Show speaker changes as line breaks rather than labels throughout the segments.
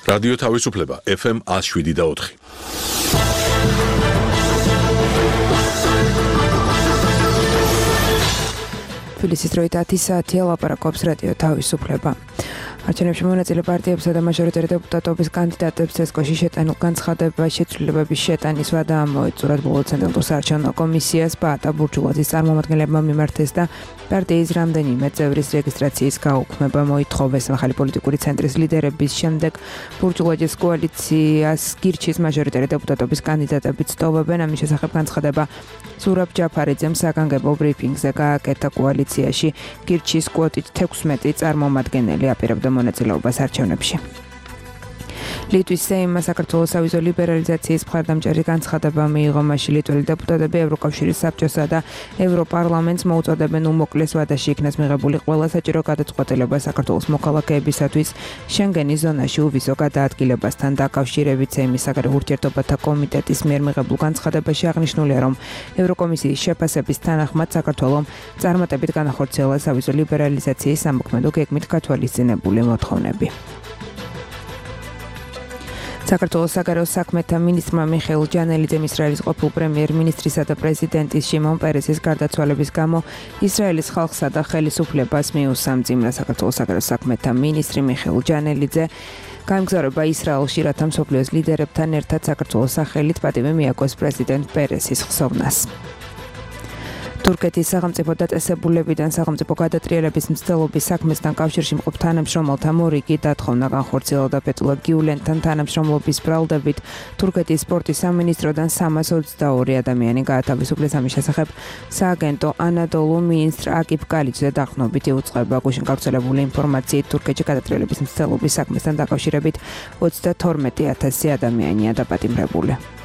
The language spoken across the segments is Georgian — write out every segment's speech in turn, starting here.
რადიო თავისუფლება FM 107.4.
თბილისის დროით 10 საათია ლაპარაკობს რადიო თავისუფლება. არჩევნებში მონაწილე პარტიებსა და მაჟორიტარი დეპუტატობის კანდიდატებს წესკოში შეტანილ განცხადება შეცვლილებების შეტანის ვადა ამოეწურათ ბოლო ცენტრალურ საარჩევნო კომისიას ბაატა ბურჯულაძის წარმომადგენლებმა მიმართეს და პარტიის რამდენიმე წევრის რეგისტრაციის გაუქმება მოითხოვეს. ახალი პოლიტიკური ცენტრის ლიდერების შემდეგ ბურჯულაძის კოალიციას გირჩის მაჟორიტარი დეპუტატობის კანდიდატები ცდობებენ. ამის შესახებ განცხადება ზურაბ ჯაფარიძემ საგანგებო ბრიფინგზე გააკეთა. კოალიციაში გირჩის კვოტით 16 წარმომადგენელი აპირებდა მონაწილეობას არჩევნებში. ლიტვის სეიმმა საქართველოს სავიზო ლიბერალიზაციის მხარდამჭერი განცხადება მიიღო. მაშინ ლიტველი დეპუტატები ევროკავშირის საბჭოსა და ევროპარლამენტს მოუწოდებენ უმოკლეს ვადაში იქნას მიღებული ყველა საჭირო გადაწყვეტილება საქართველოს მოქალაქეებისათვის შენგენის ზონაში უვისო გადაადგილებასთან დაკავშირებით. სეიმის საგარეო ურთიერთობათა კომიტეტის მიერ მიღებულ განცხადებაში აღნიშნულია, რომ ევროკომისიის შეფასების თანახმად საქართველომ წარმატებით განახორციელა სავიზო ლიბერალიზაციის სამოქმედო გეგმით გათვალისწინებული მოთხოვნები. საქართველოს საგარეო საქმეთა მინისტრმა მიხეილ ჯანელიძემ ისრაელის ყოფილ პრემიერ-მინისტრისა და პრეზიდენტის შიმონ პერესის გარდაცვალების გამო ისრაელის ხალხსა და ხელისუფლებას მიუსამძიმრა. საქართველოს საგარეო საქმეთა მინისტრი მიხეილ ჯანელიძე გაემგზავრება ისრაელში, რათა მსოფლიოს ლიდერებთან ერთად საქართველოს სახელით პატივი მიაგოს პრეზიდენტ პერესის ხსოვნას. თურქეთის სახელმწიფო დაწესებულებიდან სახელმწიფო გადატრიალების მცდელობის საქმესთან კავშირში მყოფ თანამშრომელთა მორიგი დათხოვნა განხორციელდა. ფეთულა გიულენთან თანამშრომლობის ბრალდებით თურქეთის სპორტის სამინისტროდან 322 ადამიანი გაათავისუფლეს. ამის შესახებ სააგენტო ანადოლუ მინისტრ აკიფ კალიძე დახნობით იუწყება. გუშინ გავრცელებული ინფორმაციით თურქეთში გადატრიალების მცდელობის საქმესთან დაკავშირებით 32,000 ადამიანია დაპატიმრებული.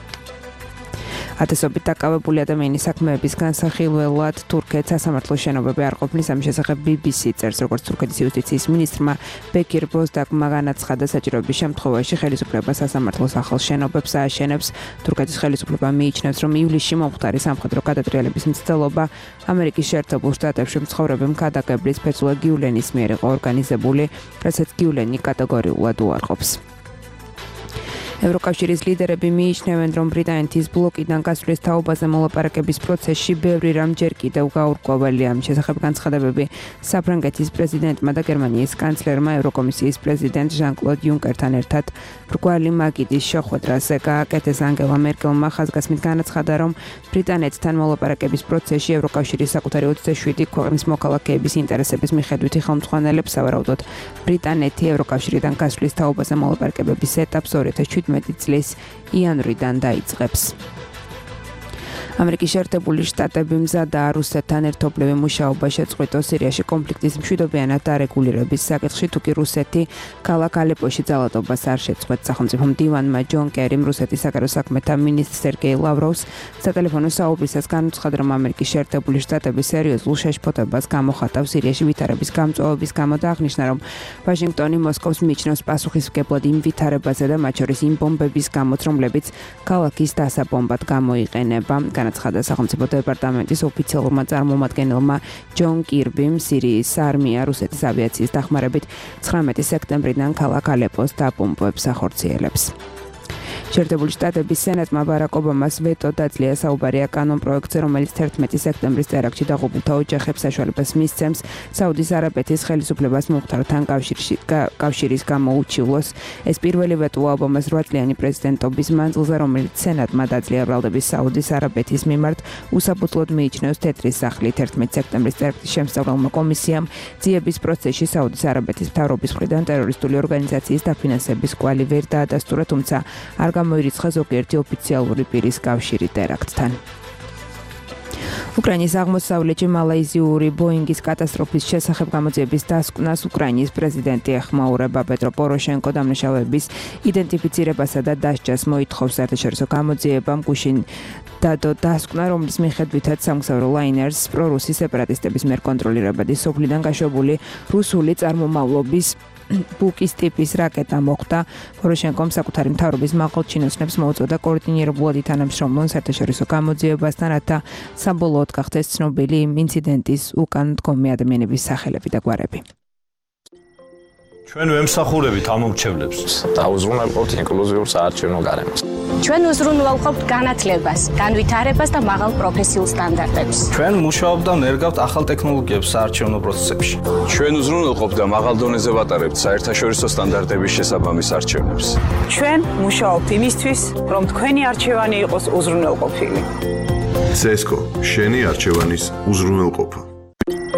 ათასობით დაკავებული ადამიანის საქმეების განსახილველად თურქეთს სასამართლო შენობები არ ყოფნის. ამის შესახებ BBC წერს, როგორც თურქეთის იუსტიციის მინისტრმა ბეკირ ბოზდაკმა განაცხადა, საჭიროების შემთხვევაში ხელისუფლება სასამართლოს ახალ შენობებს ააშენებს. თურქეთის ხელისუფლება მიიჩნევს, რომ ივლისში მომხდარი სამხედრო გადატრიალების მცდელობა ამერიკის შეერთებულ შტატებში მცხოვრები მქადაგებლის ფეთულა გიულენის მიერ იყო ორგანიზებული, რასაც გიულენი კატეგორიულად უარყოფს. ევროკავშირის ლიდერები მიიჩნევენ, რომ ბრიტანეთის ბლოკიდან გასვლის თაობაზე მოლაპარაკების პროცესში ბევრი რამ ჯერ კიდევ გაურკვეველია. ამის შესახებ განცხადებები საფრანგეთის პრეზიდენტმა და გერმანიის კანცლერმა ევროკომისიის პრეზიდენტ ჟან-კლოდ იუნკერთან ერთად მრგვალი მაგიდის შეხვედრაზე გააკეთეს. ანგელა მერკელმა ხაზგასმით განაცხადა, რომ ბრიტანეთთან მოლაპარაკების პროცესში ევროკავშირის საკუთარი 27 ქვეყნის მოქალაქეების ინტერესების მიხედვითი ხელმძღვანელებს სავარაუდოდ ბრიტანეთი ევროკავშირიდან გასვლის თაობაზე მოლაპარაკებების ეტაპს 2017 წლის იანვრიდან დაიწყებს. ამერიკის შეერთებული შტატები მზადაა რუსეთთან ერთობლივი მუშაობა შეწყვიტოს სირიაში კონფლიქტის მშვიდობიანად დარეგულირების საკითხში, თუკი რუსეთი ქალაქ ალეპოში ძალადობას არ შეწყვეტს. სახელმწიფო მდივანმა ჯონ კერიმ რუსეთის საგარეო საქმეთა მინისტრ სერგეი ლავროვს სატელეფონო საუბრისას განუცხადა, რომ ამერიკის შეერთებული შტატები სერიოზულ შეშფოთებას გამოხატავს სირიაში ვითარების გამწვავების გამო და აღნიშნა, რომ ვაშინგტონი მოსკოვს მიიჩნევს პასუხისმგებლად იმ ვითარებაზე და მათ შორის იმ ბომბების გამოც, რომლებიც ქალაქის დასაბომბად გამოიყენება. განაცხადა სახელმწიფო დეპარტამენტის ოფიციალურმა წარმომადგენელმა ჯონ კირბიმ. სირიის არმია რუსეთის ავიაციის დახმარებით 19 სექტემბრიდან ქალაქ ალეპოს დაბომბვებს ახორციელებს. შეერთებული შტატების სენატმა ბარაკ ობამას ვეტო დაძლია საუბარია კანონ პროექტზე, რომელიც 11 სექტემბრის ტერაქტში დაღუპულთა ოჯახებს საშუალებას მისცემს საუდის არაბეთის ხელისუფლებას მომხდართან კავშირის გამოუჩივლოს. ეს პირველი ვეტოა ობამას 8 წლიანი პრეზიდენტობის მანძილზე, რომელიც სენატმა დაძლია ბრალდების საუდის არაბეთის მიმართ უსაფუძვლოდ მიიჩნევს თეთრი სახლით. 11 სექტემბრის ტერაქტის შემსწავლელმა კომისიამ ძიების პროცესში საუდის არაბეთის მთავრობის მხრიდან ტერორისტული ორგანიზაციის დაფინანსების კვალი ვერ დაადასტურა, თუმცა არ გამოირიცხა ზოგიერთი ოფიციალური პირის კავშირი ტერაქტთან. უკრაინის აღმოსავლეთში მალაიზიური ბოინგის კატასტროფის შესახებ გამოძიების დასკვნას უკრაინის პრეზიდენტი ეხმაურება. პეტრო პოროშენკო დამნაშავეების იდენტიფიცირებასა და დასჯას მოითხოვს. საერთაშორისო გამოძიებამ გუშინ დადო დასკვნა, რომლის მიხედვითაც სამგზავრო ლაინერს პრორუსი სეპარატისტების მიერ კონტროლირებადი სოფლიდან გაშვებული რუსული წარმომავლობის ბუკის ტიპის რაკეტა მოხვდა. პოროშენკომ საკუთარი მთავრობის მაღალჩინოსნებს მოუწოდა კოორდინირებულად ითანამშრომლონ საერთაშორისო გამოძიებასთან, რათა საბოლოოდ გახდეს ცნობილი იმ ინციდენტის უკან მდგომი ადამიანების სახელები და გვარები.
ჩვენ ვემსახურებით ამომრჩევლებს.
დაუზრუნველყოფთ ინკლუზიურ საარჩევნო გარემოს.
ჩვენ უზრუნველყოფთ განათლებას, განვითარებას და მაღალ პროფესიულ სტანდარტებს.
ჩვენ მუშაობთ და ნერგავთ ახალ ტექნოლოგიებს საარჩევნო პროცესებში.
ჩვენ უზრუნველყოფთ და მაღალ დონეზე ვატარებთ საერთაშორისო სტანდარტების შესაბამის არჩევნებს.
ჩვენ მუშაობთ იმისთვის, რომ თქვენი არჩევანი იყოს უზრუნველყოფილი.
CESCO, შენი არჩევანის უზრუნველყოფა.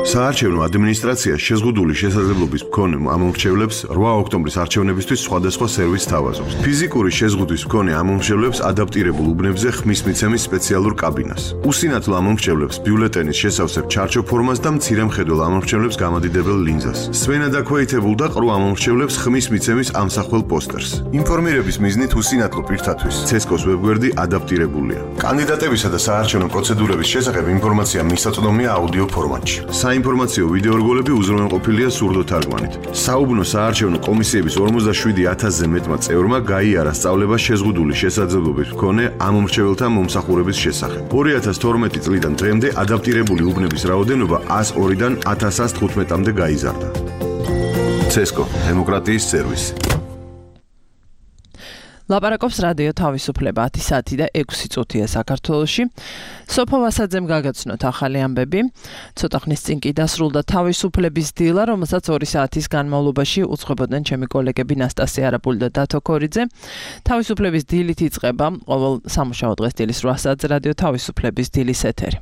საარჩევნო ადმინისტრაცია შეზღუდული შესაძლებლობის მქონე ამომრჩევლებს 8 ოქტომბრის არჩევნებისთვის სხვადასხვა სერვისს თავაზობს. ფიზიკური შეზღუდვის მქონე ამომრჩევლებს ადაპტირებულ უბნებზე ხმის მიცემის სპეციალურ კაბინას. უსინათლო ამომრჩევლებს ბიულეტენის შესავსებ ჩარჩო ფორმას და მცირე მხედველ ამომრჩევლებს გამადიდებელ ლინზას. სვენა დაქვეითებულ და ყრუ ამომრჩევლებს ხმის მიცემის ამსახველ პოსტერს. ინფორმირების მიზნით უსინათლო პირთათვის CESCO-s ვებგვერდი ადაპტირებულია. კანდიდატებისა და საარჩევნო პროცედურების შესახებ ინფორმაცია მისაწვდომია აუდიო ფორმატში. საინფორმაციო ვიდეორგოლები უზრუნველყოფილია სურდოთარგმანით. საუბნო საარჩევნო კომისიების 47,000-ზე მეტმა წევრმა გაიარა სწავლება შეზღუდული შესაძლებლობის მქონე ამომრჩეველთა მომსახურების შესახებ. 2012 წლიდან დღემდე ადაპტირებული უბნების რაოდენობა 102-დან 1115-მდე გაიზარდა. CESCO, დემოკრატიის სერვისი.
ლაპარაკობს რადიო თავისუფლება 10 საათი და 6 წუთია საქართველოში. სოფო ვასაძემ გაგაცნოთ ახალი ამბები. ცოტა ხნის წინ კი დასრულდა თავისუფლების დილა, რომელსაც 2 საათის განმავლობაში უძღვებოდნენ ჩემი კოლეგები ნასტასია არაპული და დათო ქორიძე. თავისუფლების დილით იწყება ყოველ სამუშაო დღეს დილის 8 საათზე რადიო თავისუფლების დილის ეთერი.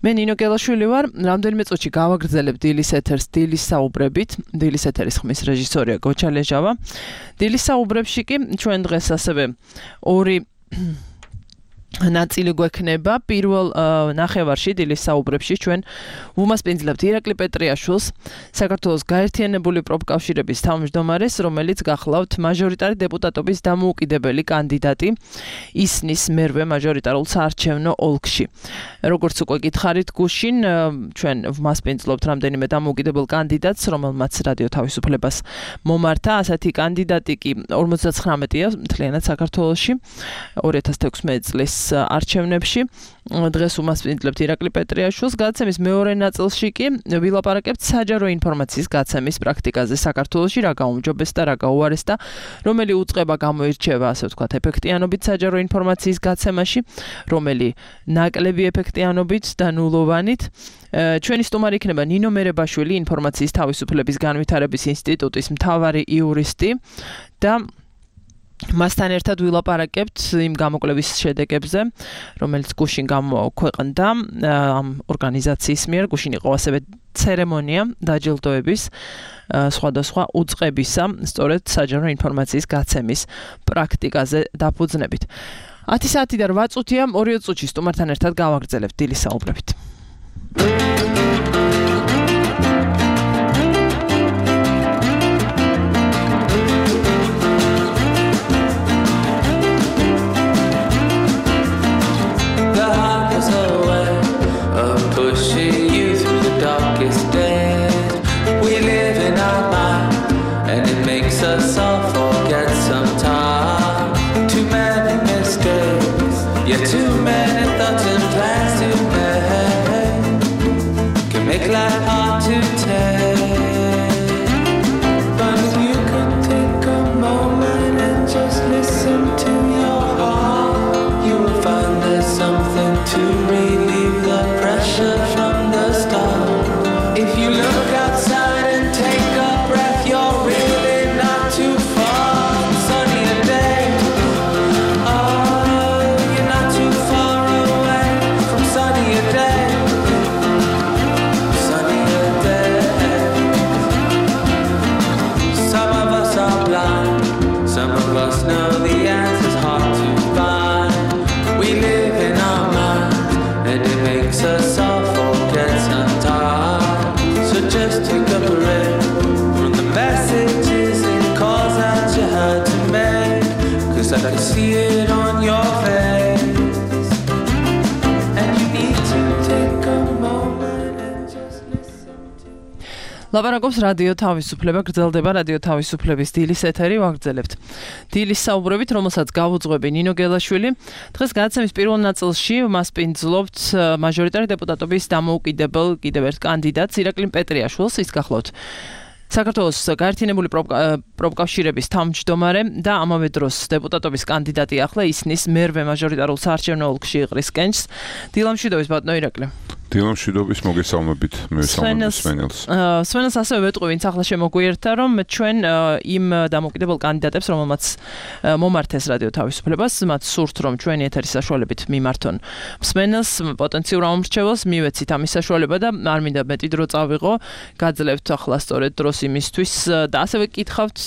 მე ნინო გელაშვილი ვარ, რამდენიმე წუთში გავაგრძელებ დილის ეთერს დილის საუბრებით. დილის ეთერის ხმის რეჟისორია გოჩა ლეჟავა. დილის საუბრებში კი ჩვენ დღეს ასევე ორი ნაწილი გვექნება. პირველ ნახევარში დილის საუბრებში ჩვენ ვუმასპინძლებთ ირაკლი პეტრიაშვილს, საქართველოს გაერთიანებული პროფკავშირების თავმჯდომარეს, რომელიც გახლავთ მაჟორიტარი დეპუტატობის დამოუკიდებელი კანდიდატი ისნის მერვე მაჟორიტარულ საარჩევნო ოლქში. როგორც უკვე გითხარით გუშინ, ჩვენ ვმასპინძლობთ რამდენიმე დამოუკიდებელ კანდიდატს, რომელმაც რადიო თავისუფლებას მომართა. ასეთი კანდიდატი კი 59-ია მთლიანად საქართველოში 2016 წლის არჩევნებში. დღეს უმასპინძლებთ ირაკლი პეტრიაშვილს. გადაცემის მეორე ნაწილში კი ვილაპარაკებთ საჯარო ინფორმაციის გაცემის პრაქტიკაზე საქართველოში, რა გაუმჯობეს და რა გაუარეს და რომელი უწყება გამოირჩევა, ასე ვთქვათ, ეფექტიანობით საჯარო ინფორმაციის გაცემაში, რომელი ნაკლები ეფექტიანობით და ნულოვანით. ჩვენი სტუმარი იქნება ნინო მერებაშვილი, ინფორმაციის თავისუფლების განვითარების ინსტიტუტის მთავარი იურისტი და მასთან ერთად ვილაპარაკებთ იმ გამოკვლევის შედეგებზე, რომელიც გუშინ გამოქვეყნდა ამ ორგანიზაციის მიერ. გუშინ იყო ასევე ცერემონია დაჯილდოების სხვადასხვა უწყებისა, სწორედ საჯარო ინფორმაციის გაცემის პრაქტიკაზე დაფუძნებით. 10 საათი და 8 წუთია, 2 წუთში სტუმართან ერთად გავაგრძელებთ დილის საუბრებით.
Too many thoughts and plans to make can make life hard to take. But if you could take a moment and just listen to your heart, you will find there's something to relieve the pressure from the start. If you look outside and take a breath, you're really not too far from sunnier days. Know the answer's hard to find. We live in our minds, and it makes us all forget sometimes. So just take a breath from the messages and calls that you had to make, 'cause I can see it on your face, and you need to take a moment and just listen to.
ლაპარაკობს რადიო თავისუფლება, გრძელდება რადიო თავისუფლების დილის ეთერი, ვაგრძელებთ დილის საუბრებით, რომელსაც გავუძღვები ნინო გელაშვილი. დღეს გადაცემის პირველ ნაწილში ვმასპინძლობთ მაჟორიტარი დეპუტატობის დამოუკიდებელ კიდევ ერთ კანდიდატს ირაკლი პეტრიაშვილს. ის გახლავთ საქართველოს გაერთიანებული პროფკავშირების თავმჯდომარე და ამავე დროს დეპუტატობის კანდიდატი ახლა ისნის მერვე მაჟორიტარულ საარჩევნო ოლქში იყრის კენჭს. დილამშვიდობის ბატონო ირაკლი.
დილამშვიდობის მოგესალმებით მესალმებით სვენელს.
სვენელს ასევე ვეტყვი, ვინც ახლა შემოგვიერთდა, რომ ჩვენ იმ დამოუკიდებელ კანდიდატებს, რომელმაც მომართეს რადიო თავისუფლებას, მათ სურთ, რომ ჩვენი ეთერის საშუალებით მიმართონ სვენელს პოტენციურ ამომრჩეველს, მივეცით ამის საშუალება და არ მინდა მეტი დრო წავიღო, გაძლევთ ახლა სწორედ დროს იმისთვის და ასევე გკითხავთ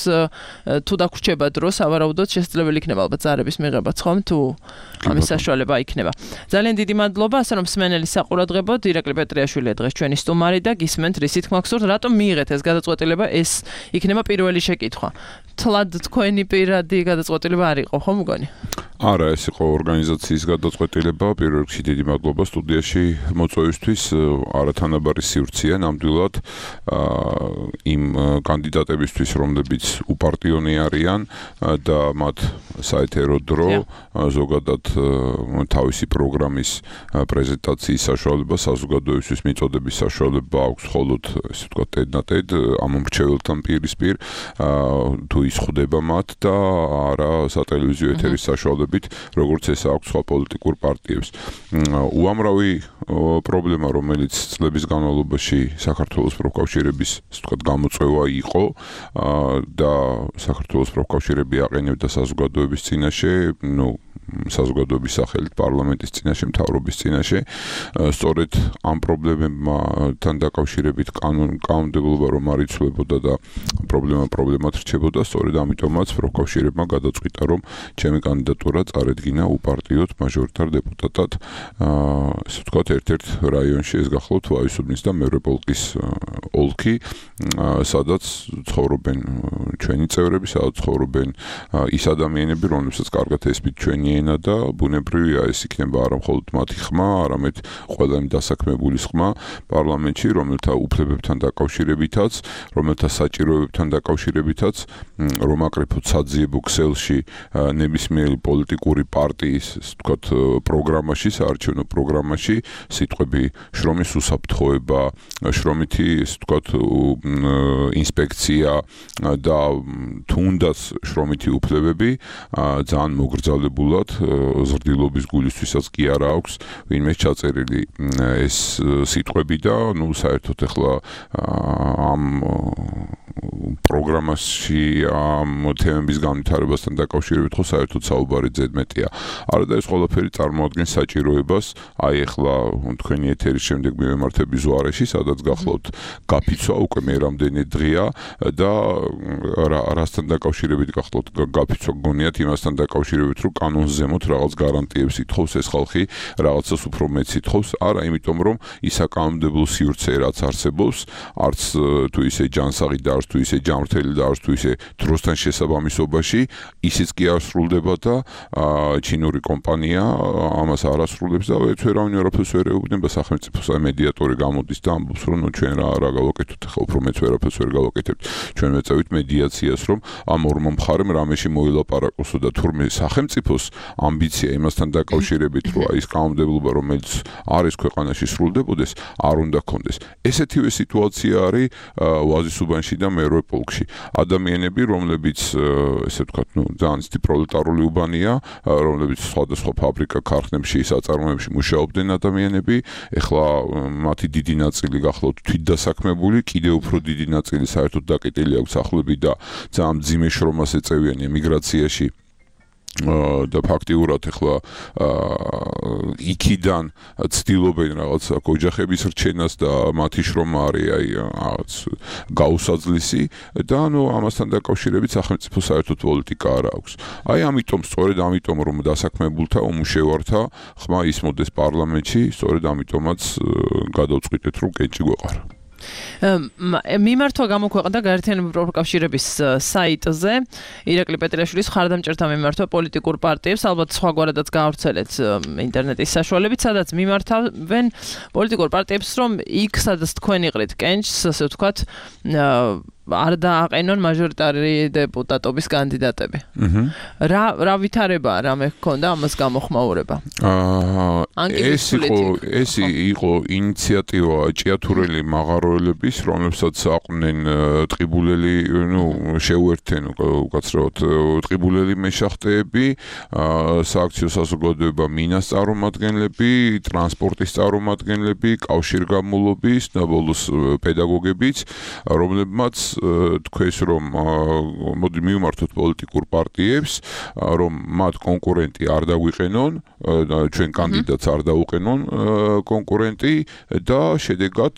თუ დაგვრჩება დრო, სავარაუდოდ შესაძლებელი იქნება ალბათ ზარების მიღებაც ხომ თუ ამის საშუალება იქნება. ძალიან დიდი მადლობა, ასე რომ სვენელის საყურადღებოდ ირაკლი პეტრიაშვილი დღეს ჩვენი სტუმარი და გისმენთ რისი თქმა გსურთ, რატომ მიიღეთ ეს გადაწყვეტილება, ეს იქნება პირველი შეკითხვა. თლად თქვენი პირადი გადაწყვეტილება არ იყო, ხო მგონი?
არა, ეს იყო ორგანიზაციის გადაწყვეტილება. პირველ რიგში დიდი მადლობა სტუდიაში მოწვევისთვის. არათანაბარი სივრცეა ნამდვილად იმ კანდიდატებისთვის, რომლებიც უპარტიონი არიან და მათ საეთერო დრო ზოგადად თავისი პროგრამის პრეზენტაციის საშუალება, საზოგადოებისთვის მიწოდების საშუალება აქვს მხოლოდ, ესე ვთქვათ, თედნათედ ამომრჩეველთან პირისპირ თუ ის ხვდება მათ და არა სატელევიზიო ეთერის საშუალებით, როგორც ეს აქვს სხვა პოლიტიკურ პარტიებს. უამრავი პრობლემა, რომელიც წლების განმავლობაში საქართველოს პროფკავშირების, ასე ვთქვათ, გამოწვევა იყო და საქართველოს პროფკავშირები აყენებდა საზოგადოების წინაშე, საზოგადოების სახელით პარლამენტის წინაშე, მთავრობის წინაშე. სწორედ ამ პრობლემებთან დაკავშირებით კანონმდებლობა რომ არ იცვლებოდა და პრობლემად რჩებოდა, სწორედ ამიტომაც პროფკავშირებმა გადაწყვიტა, რომ ჩემი კანდიდატურა წარედგინა უპარტიოდ მაჟორიტარ დეპუტატად, ასე ვთქვათ, ერთ-ერთ რაიონში, ეს გახლავთ ვაისუბნის და მერვე პოლკის ოლქი, სადაც ცხოვრობენ ჩვენი წევრები, სადაც ცხოვრობენ ის ადამიანები, რომლებსაც კარგად ესმით ჩვენი ენა და ბუნებრივია ეს იქნება არა მხოლოდ მათი ხმა, არამედ ყველა იმ დასაქმებულის ხმა პარლამენტში, რომელთა უფლებებთან დაკავშირებითაც, რომელთა საჭიროებებთან დაკავშირებითაც, რომ აკრიფოთ საძიებო ქსელში ნებისმიერი პოლიტიკური პარტიის, ასე ვთქვათ, პროგრამაში, საარჩევნო პროგრამაში სიტყვები შრომის უსაფრთხოება, შრომითი, ასე ვთქვათ, ინსპექცია და თუნდაც შრომითი უფლებები ძალიან მოგრძალებულად ზრდილობის გულისთვისაც კი არა აქვს ვინმე ჩაწერილი ეს სიტყვები და საერთოდ ახლა ამ პროგრამაში ამ თემების განვითარებასთან დაკავშირებით ხო საერთოდ საუბარი ზედმეტია. არა და ეს ყველაფერი წარმოადგენს საჭიროებას, აი ახლა თქვენი ეთერის შემდეგ მივემართები ზუარეში, სადაც გახლავთ გაფიცვა უკვე მე რამდენი დღეა და რასთან დაკავშირებით გახლავთ გაფიცვა გონიათ იმასთან დაკავშირებით, რომ კანონს ზემოთ რაღაც გარანტიებს ითხოვს ეს ხალხი, რაღაცას უფრო მეტს ითხოვს, არა იმიტომ რომ ის საკანონმდებლო სივრცე რაც არსებობს, არც თუ ისე ჯანსაღი და არც თუ ისე ჯანმრთელი და არც თუ ისე დროსთან შესაბამისობაში, ისიც კი არ სრულდება და ჩინური კომპანია ამას არ ასრულებს და ვერავინ არაფერს ვერ ეუბნება სახელმწიფოს, აი მედიატორი გამოდის და ამბობს რომ ჩვენ რა გავაკეთოთ, ახლა უფრო მეც ვერაფერს ვერ გავაკეთებთ. ჩვენ მეწევით მედიაციას, რომ ამ ორმო მხარემ რამეში მოილაპარაკოსო და თურმე სახელმწიფოს ამბიცია იმასთან დაკავშირებით, რომ აი ეს კანონმდებლობა, რომელიც არის ქვეყანაში სრულდებოდეს, არ უნდა ქონდეს. ესეთივე სიტუაცია არის ვაზისუბანში და მერვე პოლკში. ადამიანები, რომლებიც ესე ვთქვათ, ძალიან ცივი პროლეტარული უბანია, რომლებიც სხვადასხვა ფაბრიკა, ქარხნებში, საწარმოებში მუშაობდნენ ადამიანები, ეხლა მათი დიდი ნაწილი გახლავთ თვითდასაქმებული, კიდევ უფრო დიდი ნაწილი საერთოდ დაკეტილი აქვს სახლები და ძალიან მძიმე შრომას ეწევიან ემიგრაციაში. და ფაქტიურად ახლა იქიდან ცდილობენ რაღაც ოჯახების რჩენას და მათი შრომა არის აი რაღაც გაუსაძლისი და ამასთან დაკავშირებით სახელმწიფო საერთოდ პოლიტიკა არ აქვს. აი ამიტომ სწორედ ამიტომ რომ დასაქმებულთა უმუშევართა ხმა ისმოდეს პარლამენტში, სწორედ ამიტომაც გადავწყვიტეთ რომ კენჭი გვეყარა.
მიმართვა გამოქვეყნდა გაერთიანებული პროფკავშირების საიტზე ირაკლი პეტრიაშვილის მხარდამჭერთა მიმართვა პოლიტიკურ პარტიებს, ალბათ სხვაგვარადაც გაავრცელეთ ინტერნეტის საშუალებით, სადაც მიმართავენ პოლიტიკურ პარტიებს, რომ იქ სადაც თქვენ იყრით კენჭს, ასე ვთქვათ, არ დააყენონ მაჟორიტარი დეპუტატობის კანდიდატები. რა ვითარებაა რამე გქონდა ამას გამოხმაურება?
ეს იყო ინიციატივა ჭიათურელი მაღაროელების, რომლებსაც აყვნენ ტყიბულელი, შეუერთდნენ უკაცრავად ტყიბულელი მეშახტეები, სააქციო საზოგადოება მინას წარმომადგენლები, ტრანსპორტის წარმომადგენლები, კავშირგამულობის და ბოლოს პედაგოგებიც, რომლებმაც თქვეს რომ მოდი მივმართოთ პოლიტიკურ პარტიებს, რომ მათ კონკურენტი არ დაგვიყენონ, ჩვენ კანდიდატს არ დაუყენონ კონკურენტი და შედეგად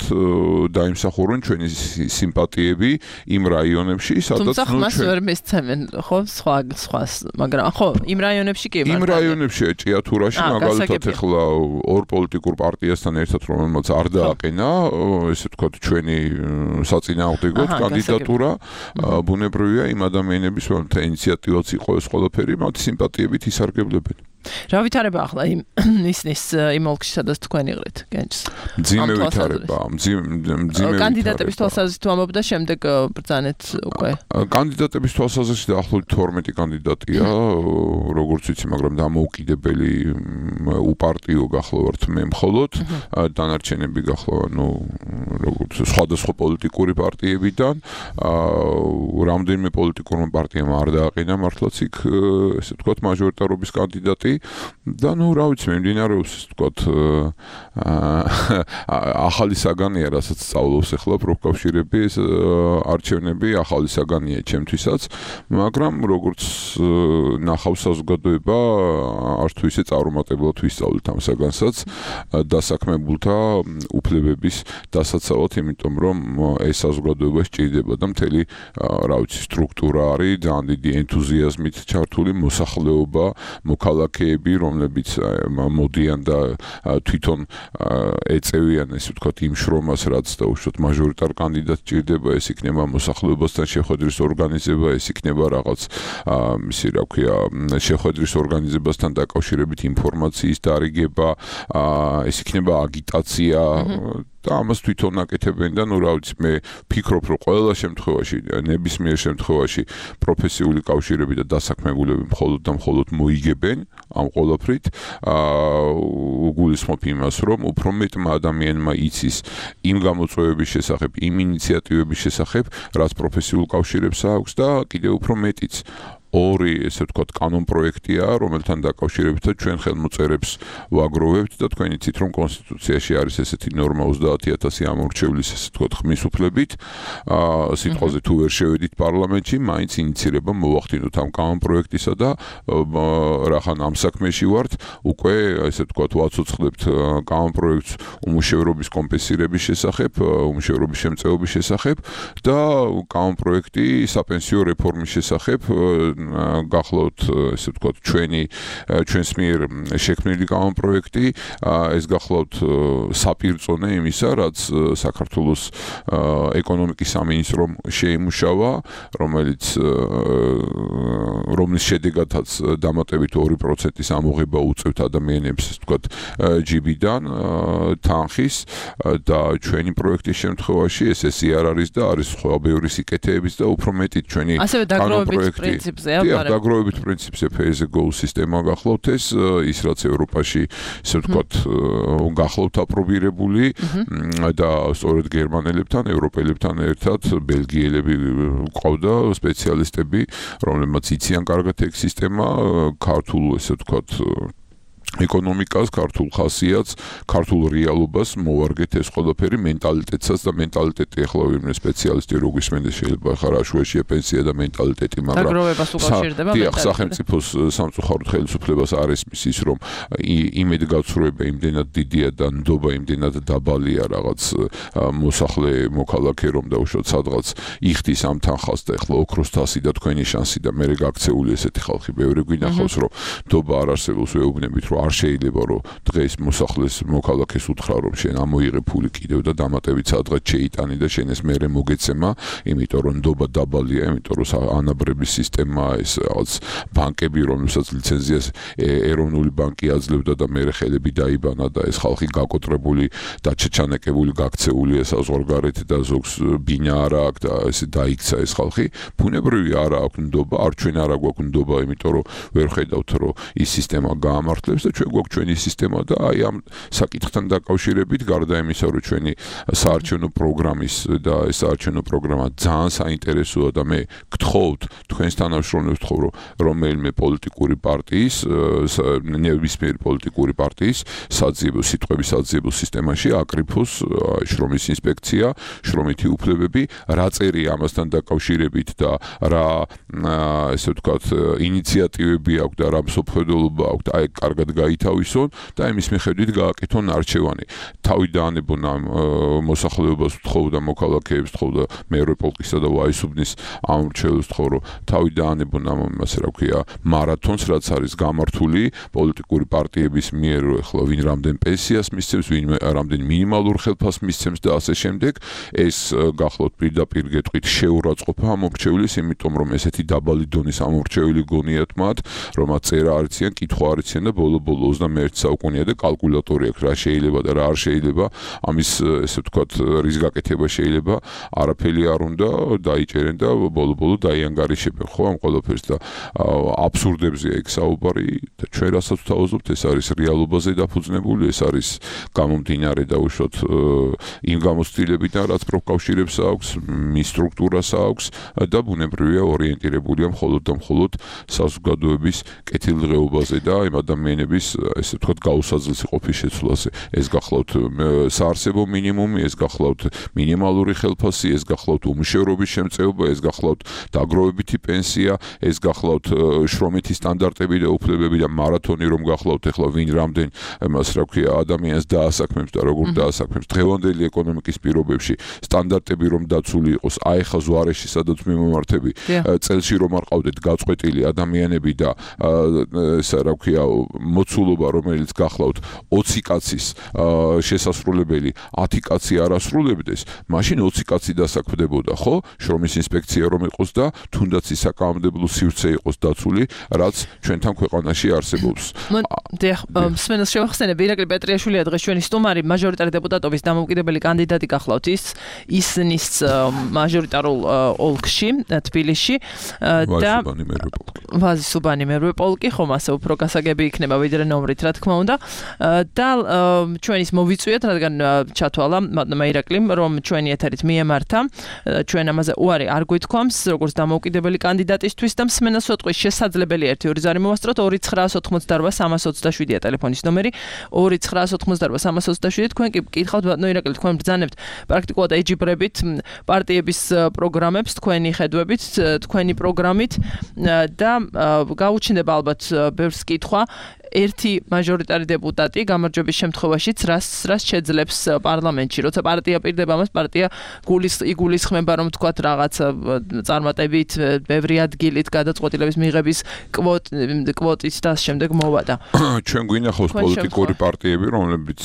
დაიმსახურონ ჩვენი სიმპათიები იმ რაიონებში, სადაც
თუმცა ხმას ვერ მისცემენ, ხო, სხვას, მაგრამ ხო, იმ რაიონებში კი
იმ რაიონებში ჭიათურაში მაგალითად ახლა ორ პოლიტიკურ პარტიასთან ერთად რომელმაც არ დააყენა, ესე ვთქვათ, ჩვენი საწინააღმდეგოდ კანდიდატურა, ბუნებრივია იმ ადამიანების, რომელთა ინიციატივაც იყო ეს ყველაფერი, მათ სიმპათიებით ისარგებლებენ.
რა ვითარება ახლა ისნის იმ ოლქში, სადაც თქვენ იყრით, გენჯს?
მძიმე ვითარება, მძიმე
კანდიდატების თვალსაზრისით ვამბობ და შემდეგ ბრძანეთ უკვე.
კანდიდატების თვალსაზრისით დაახლოებით 12 კანდიდატია, როგორც ვიცი, მაგრამ დამოუკიდებელი უპარტიო გახლავართ მე მხოლოდ, დანარჩენები გახლავართ, როგორც სხვადასხვა პოლიტიკური პარტიებიდან, რამდენიმე პოლიტიკურმა პარტიამ არ დააყენა მართლაც იქ, ესე ვთქვათ, მაჟორიტარობის კანდიდატი და რა ვიცი, მიმდინარეობს ასე ვთქვათ ახალი საგანია, რასაც სწავლობს ახლა პროფკავშირები, ეს არჩევნები ახალი საგანია ჩემთვისაც, მაგრამ როგორც ნახავს საზოგადოება, არც თუ ისე წარუმატებლად ვისწავლით ამ საგანსაც დასაქმებულთა უფლებების დასაცავად, იმიტომ რომ ეს საზოგადოება სჭირდება და მთელი რა ვიცი სტრუქტურა არის ძალიან დიდი ენთუზიაზმით ჩართული მოსახლეობა, მოქალაქეები, რომლებიც მოდიან და თვითონ ეწევიან ესე ვთქვათ იმ შრომას, რაც დაუშვათ მაჟორიტარ კანდიდატს ჭირდება, ეს იქნება მოსახლეობასთან შეხვედრის ორგანიზება, ეს იქნება რაღაც ისე რა ქვია, შეხვედრის ორგანიზებასთან დაკავშირებით ინფორმაციის დარიგება, ეს იქნება აგიტაცია და ამას თვითონ აკეთებენ და რა ვიცი, მე ფიქრობ, რომ ყველა შემთხვევაში, ნებისმიერ შემთხვევაში პროფესიული კავშირები და დასაქმებულები მხოლოდ და მხოლოდ მოიგებენ ამ ყველაფრით, უგულისხმობ იმას, რომ უფრო მეტმა ადამიანმა იცის იმ გამოწვევების შესახებ, იმ ინიციატივების შესახებ, რაც პროფესიულ კავშირებს აქვს და კიდევ უფრო მეტიც ორი, ესე ვთქვათ, კანონპროექტია, რომელთან დაკავშირებითაც ჩვენ ხელმოწერებს ვაგროვებთ და თქვენ იცით, რომ კონსტიტუციაში არის ესეთი ნორმა 30,000 ამორჩევლის, ესე ვთქვათ, ხმის უფლებით. სიტყვაზე თუ ვერ შევედით პარლამენტში, მაინც ინიცირება მოვახდინოთ ამ კანონპროექტისა და რახან ამ საქმეში ვართ, უკვე ესე ვთქვათ, ვაცოცხლებთ კანონპროექტს უმუშევრობის კომპენსირების შესახებ, უმუშევრობის შემწეობის შესახებ და კანონპროექტი საპენსიო რეფორმის შესახებ გახლავთ, ესე ვთქვათ, ჩვენს მიერ შექმნილი კანონპროექტი, ეს გახლავთ საპირწონე იმისა, რაც საქართველოს ეკონომიკის სამინისტრომ შეიმუშავა, რომლის შედეგადაც დამატებით 2%-ის ამოღება უწევთ ადამიანებს, ესე ვთქვათ, ჯიბიდან, თანხის და ჩვენი პროექტის შემთხვევაში ეს ესე არ არის და არის სხვა ბევრი სიკეთეების და უფრო მეტით ჩვენი კანონპროექტი დაგროვებით პრინციპზე pay-as-go სისტემა გახლავთ ის რაც ევროპაში ისე ვთქვათ გახლავთ აპრობირებული და სწორედ გერმანელებთან, ევროპელებთან ერთად ბელგიელები ყავდა სპეციალისტები, რომლებმაც იციან კარგად ეგ სისტემა, ქართულ ესე ვთქვათ ეკონომიკას, ქართულ ხასიათს, ქართულ რეალობას მოვარგეთ ეს ყველაფერი მენტალიტეტსაც და მენტალიტეტი ახლა ვინმე სპეციალისტი რო გვისმენდეს შეიძლება ხარ აშუაშია პენსია და მენტალიტეტი, მაგრამ
დაგროვებას უკავშირდება მენტალიტეტი.
სახელმწიფოს სამწუხაროდ ხელისუფლებას არ ესმის ის რომ იმედგაცრუება იმდენად დიდია და ნდობა იმდენად დაბალია რაღაც მოსახლე მოქალაქე რომ დაუშვათ სადღაც იხდის ამ თანხას და ახლა ოქროს თასი და თქვენი შანსი და მე გაქცეული ესეთი ხალხი ბევრი გვინახავს რომ ნდობა არ არსებობს ვეუბნებით რომ არ შეიძლება რომ დღეს მოსახლეს მოქალაქეს უთხრა რომ შენ ამოიღე ფული კიდევ და დამატებით სადღაც შეიტანი და შენ ეს მერე მოგეცემა, იმიტომ რომ ნდობა დაბალია, იმიტომ რომ ანაბრების სისტემა ეს რაღაც ბანკები რომელსაც ლიცენზიას ეროვნული ბანკი აძლევდა და მერე ხელები დაიბანა და ეს ხალხი გაკოტრებული და ჩეჩანეკებული გაქცეულია საზღვარგარეთ და ზოგს ბინა არ აქვს და ესე დაიქცა ეს ხალხი, ბუნებრივი არ აქვს ნდობა, არ ჩვენ არ გვაქვს ნდობა, იმიტომ რომ ვერ ხედავთ რომ ის სისტემა გაამართლებს და ჩვენ გვაქვს ჩვენი სისტემა და აი ამ საკითხთან დაკავშირებით გარდა იმისა რომ ჩვენი საარჩევნო პროგრამის და ეს საარჩევნო პროგრამა ძალიან საინტერესოა და მე გთხოვთ თქვენს თანამშრომლებს ვთხოვ რომ რომელიმე პოლიტიკური პარტიის ნებისმიერი პოლიტიკური პარტიის საძიებო სიტყვების საძიებო სისტემაში აკრიფოს შრომის ინსპექცია, შრომითი უფლებები, რა წერია ამასთან დაკავშირებით და რა ესე ვთქვათ ინიციატივები აქვს და რა მსოფლმხედველობა აქვს და აი კარგად გაითავისონ და იმის მიხედვით გააკეთონ არჩევანი. თავი დაანებონ ამ მოსახლეობას ვთხოვ და მოქალაქეებს ვთხოვ და მეორე პოლკისა და ვაისუბნის ამ მრჩეველს ვთხოვ რომ თავი დაანებონ ამ ასე რა ქვია მარათონს რაც არის გამართული პოლიტიკური პარტიების მიერ ახლა ვინ რამდენ პენსიას მისცემს, ვინ რამდენ მინიმალურ ხელფასს მისცემს და ასე შემდეგ ეს გახლავთ პირდაპირ გეტყვით შეურაცხყოფა ამ მრჩევლის, იმიტომ რომ ესეთი დაბალი დონის ამ მრჩეველი გონიათ მათ, რომ მათ წერა არ იციან, კითხვა არ იციან და ბოლო-ბოლო 21 საუკუნეა და კალკულატორი აქვს რა შეიძლება და რა არ შეიძლება, ამის ესე ვთქვათ რის გაკეთება შეიძლება, არაფერი არ უნდა დაიჭერენ და ბოლო-ბოლო დაიანგარიშებენ ხო ამ ყველაფერს და აბსურდებზეა იქ საუბარი და ჩვენ რასაც ვთავაზობთ ეს არის რეალობაზე დაფუძნებული, ეს არის გამომდინარე და უშუალოდ იმ გამოცდილებიდან რაც პროფკავშირებს აქვს, მის სტრუქტურას აქვს და ბუნებრივია ორიენტირებულია მხოლოდ და მხოლოდ საზოგადოების კეთილდღეობაზე და იმ ადამიანების ესე ვთქვათ გაუსაძლისი ყოფის შეცვლაზე. ეს გახლავთ საარსებო მინიმუმი, ეს გახლავთ მინიმალური ხელფასი, ეს გახლავთ უმუშევრობის შემწეობა, ეს გახლავთ დაგროვებითი პენსია, ეს გახლავთ შრომითი სტანდარტები და უფლებები და მარათონი რომ გახლავთ ახლა ვინ რამდენ მას რა ქვია ადამიანს დაასაქმებს და როგორ დაასაქმებს დღევანდელი ეკონომიკის პირობებში სტანდარტები რომ დაცული იყოს, აი ხა ზვარეში სადაც მიმომართები წელში რომ არ ყავდეთ გაწყვეტილი ადამიანები და ესა რა ქვია მოცულობა რომელიც გახლავთ 20 კაცის შესასრულებელი 10 კაცი არ ასრულებდეს, მაშინ 20 კაცი დასაქმდებოდა, ხო? შრომის ინსპექცია რომ იყოს და თუნდაც ის საკანონმდებლო სივრცე იყოს დაცული, რაც ჩვენთან ქვეყანაში არსებობს.
დიახ, მსმენელს შევახსენებ, ირაკლი პეტრიაშვილია დღეს ჩვენი სტუმარი, მაჟორიტარი დეპუტატობის დამოუკიდებელი კანდიდატი გახლავთ ისნის მაჟორიტარულ ოლქში, თბილისში და ვაზისუბანი მერვე პოლკი, ხომ ასე უფრო გასაგები იქნება ვიდრე ნომრით, რა თქმა უნდა. და ჩვენის მოვიწვიეთ, რადგან ჩათვალა მადლობა ირაკლიმ, რომ ჩვენი ეთერით მიემართა, ჩვენ ამაზე უარი არ გვითქვამს, როგორც დამოუკიდებელი კანდიდატისთვის და მსმენელს ვეთქვი შესაძლებელია 1-2 ზარი მოვასწროთ 2988-327-ია ტელეფონის ნომერი 2988-327 თქვენ კი გკითხავთ ბატონო ირაკლი, თქვენ ბრძანებთ პრაქტიკულად ეჯიბრებით პარტიების პროგრამებს თქვენი ხედვებით, თქვენი პროგრამით და გაუჩნდება ალბათ ბევრს კითხვა ერთი მაჟორიტარი დეპუტატი გამარჯვების შემთხვევაშიც რას შეძლებს პარლამენტში, როცა პარტია პირდება მას, პარტია იგულისხმება რომ თქვათ რაღაც წარმატებით, ბევრი ადგილით გადაწყვეტილების მიღების კვოტით და შემდეგ მოვადა.
ჩვენ გვინახავს პოლიტიკური პარტიები, რომლებიც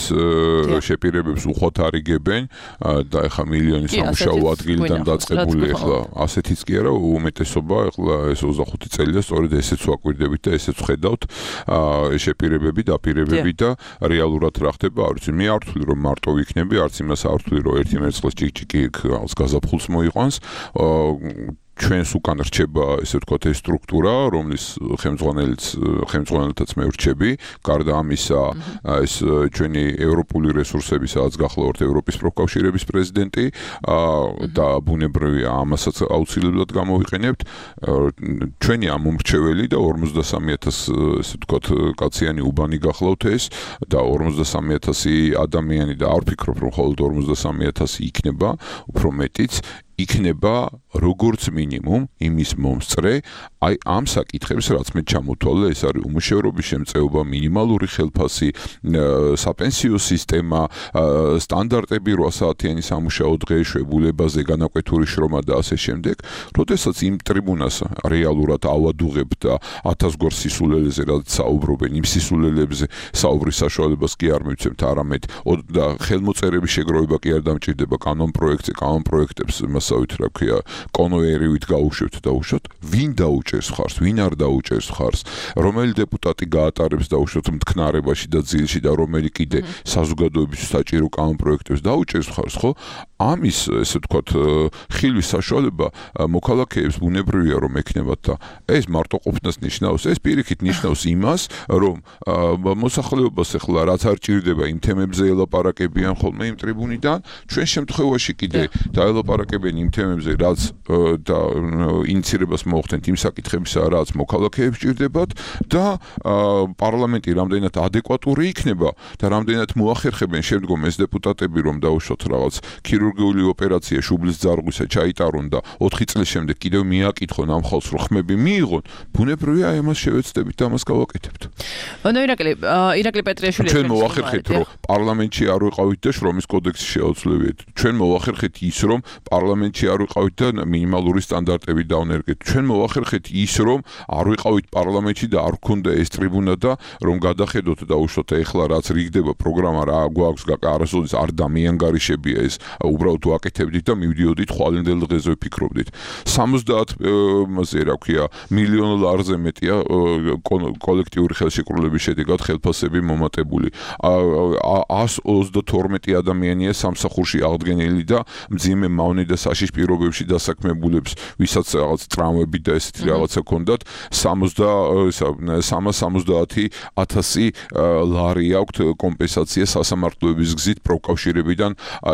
შეპირებებს უხვად არიგებენ და ეხა მილიონი სამუშაო ადგილიდან დაწყებული ეხლა ასეთიც კი არა, უმეტესობა ეხლა ეს 25 წელია სწორედ ესეც ვაკვირდებით და ესეც ხედავთ შეპირებები, დაპირებები და რეალურად რა ხდება, არ ვიცი, მე არ ვთვლი რომ მარტო ვიქნები, არც იმას არ ვთვლი რომ ერთი მერცხლის ჭიკჭიკი გაზაფხულს მოიყვანს. ჩვენს უკან რჩება ესე ვთქვათ ეს სტრუქტურა, რომლის ხელმძღვანელთაც მე ვრჩები, გარდა ამისა ეს ჩვენი ევროპული რესურსები, სადაც გახლავთ ევროპის პროფკავშირების პრეზიდენტი და ბუნებრივია ამასაც აუცილებლად გამოვიყენებთ. ჩვენი ამ მომრჩეველი და 43000 ესე ვთქვათ კაციანი უბანი გახლავთ ეს და 43000 ადამიანი და არ ვფიქრობ რომ მხოლოდ 43000 იქნება, უფრო მეტიც იქნება როგორც მინიმუმ იმის მომსწრე აი ამ საკითხებს რაც მე ჩამოთვალე ეს არის უმუშევრობის შემწეობა მინიმალური ხელფასი საპენსიო სისტემა სტანდარტები 8 საათიანი სამუშაო დღე შვებულებაზე განაკვეთური შრომა და ასე შემდეგ როდესაც იმ ტრიბუნას რეალურად ავადუღებ და 1000 გვარ სისულელეზე რაც საუბრობენ იმ სისულელებზე საუბრის საშუალებას კი არ მივცემთ არამედ და ხელმოწერების შეგროვება კი არ დამჭირდება კანონპროექტებს მასავით რა ქვია კონვეიერით გაუშვებთ და უშოთ ვინ დაუჭერს ხარს ვინ არ დაუჭერს ხარს რომელი დეპუტატი გაატარებს და უშოთ მთქნარებაში და ძილში და რომელი კიდე საზოგადოების საჭირო კანონპროექტებს დაუჭერს ხარს ხო ამის ესე ვთქვათ ხილვის საშუალება მოქალაქეებს ბუნებრივია რომ ექნებათ და ეს მარტო ყოფნას ნიშნავს ეს პირიქით ნიშნავს იმას რომ მოსახლეობას ახლა რაც არ ჭირდება იმ თემებზე ელაპარაკებიან ხოლმე იმ ტრიბუნიდან ჩვენ შემთხვევაში კიდე დაელაპარაკებენ იმ თემებზე რაც და ინიცირებას მოახდენთ იმ საკითხებისა რაც მოქალაქეებს ჭირდებათ და პარლამენტი რამდენად ადეკვატური იქნება და რამდენად მოახერხებენ შემდგომ ეს დეპუტატები რომ დაუშვათ რაღაც ქირურგიული ოპერაცია შუბლის ძარღვისა ჩაიტარონ და 4 წლის შემდეგ კიდევ მიაკითხონ ამ ხალხს რომ ხმები მიიღონ ბუნებრივია ამას შევეცდებით და ამას გავაკეთებთ.
ანუ ირაკლი პეტრიაშვილი
ჩვენ მოახერხეთ რომ პარლამენტში არ ვიყავით და შრომის კოდექსი შეავწლევიეთ. ჩვენ მოახერხეთ ის რომ პარლამენტში არ ვიყავით და მინიმალური სტანდარტები დავნერგეთ. ჩვენ მოახერხეთ ის რომ არ ვიყავით პარლამენტში და არ გქონდა ეს ტრიბუნა და რომ გადახედოთ და უშოთ ეხლა რაც რიგდება პროგრამა რა გვაქვს არასოდეს არ დამიანგარიშებია ეს უბრალოდ ვაკეთებდით და მივდიოდით ხვალინდელ დღეზე ვფიქრობდით 70-ზე რა ქვია მილიონ ლარზე მეტია კოლექტიური ხელშეკრულების შედეგად ხელფასები მომატებული 132 ადამიანია სამსახურში აღდგენილი და მძიმე მავნე და საშიშ პირობებში დასაქმებულებს ვისაც რაღაც ტრამვები და ესეთი რაღაცა ჰქონდათ 370,000 ლარი აქვთ კომპენსაცია სასამართლოების გზით პროკავშირებიდან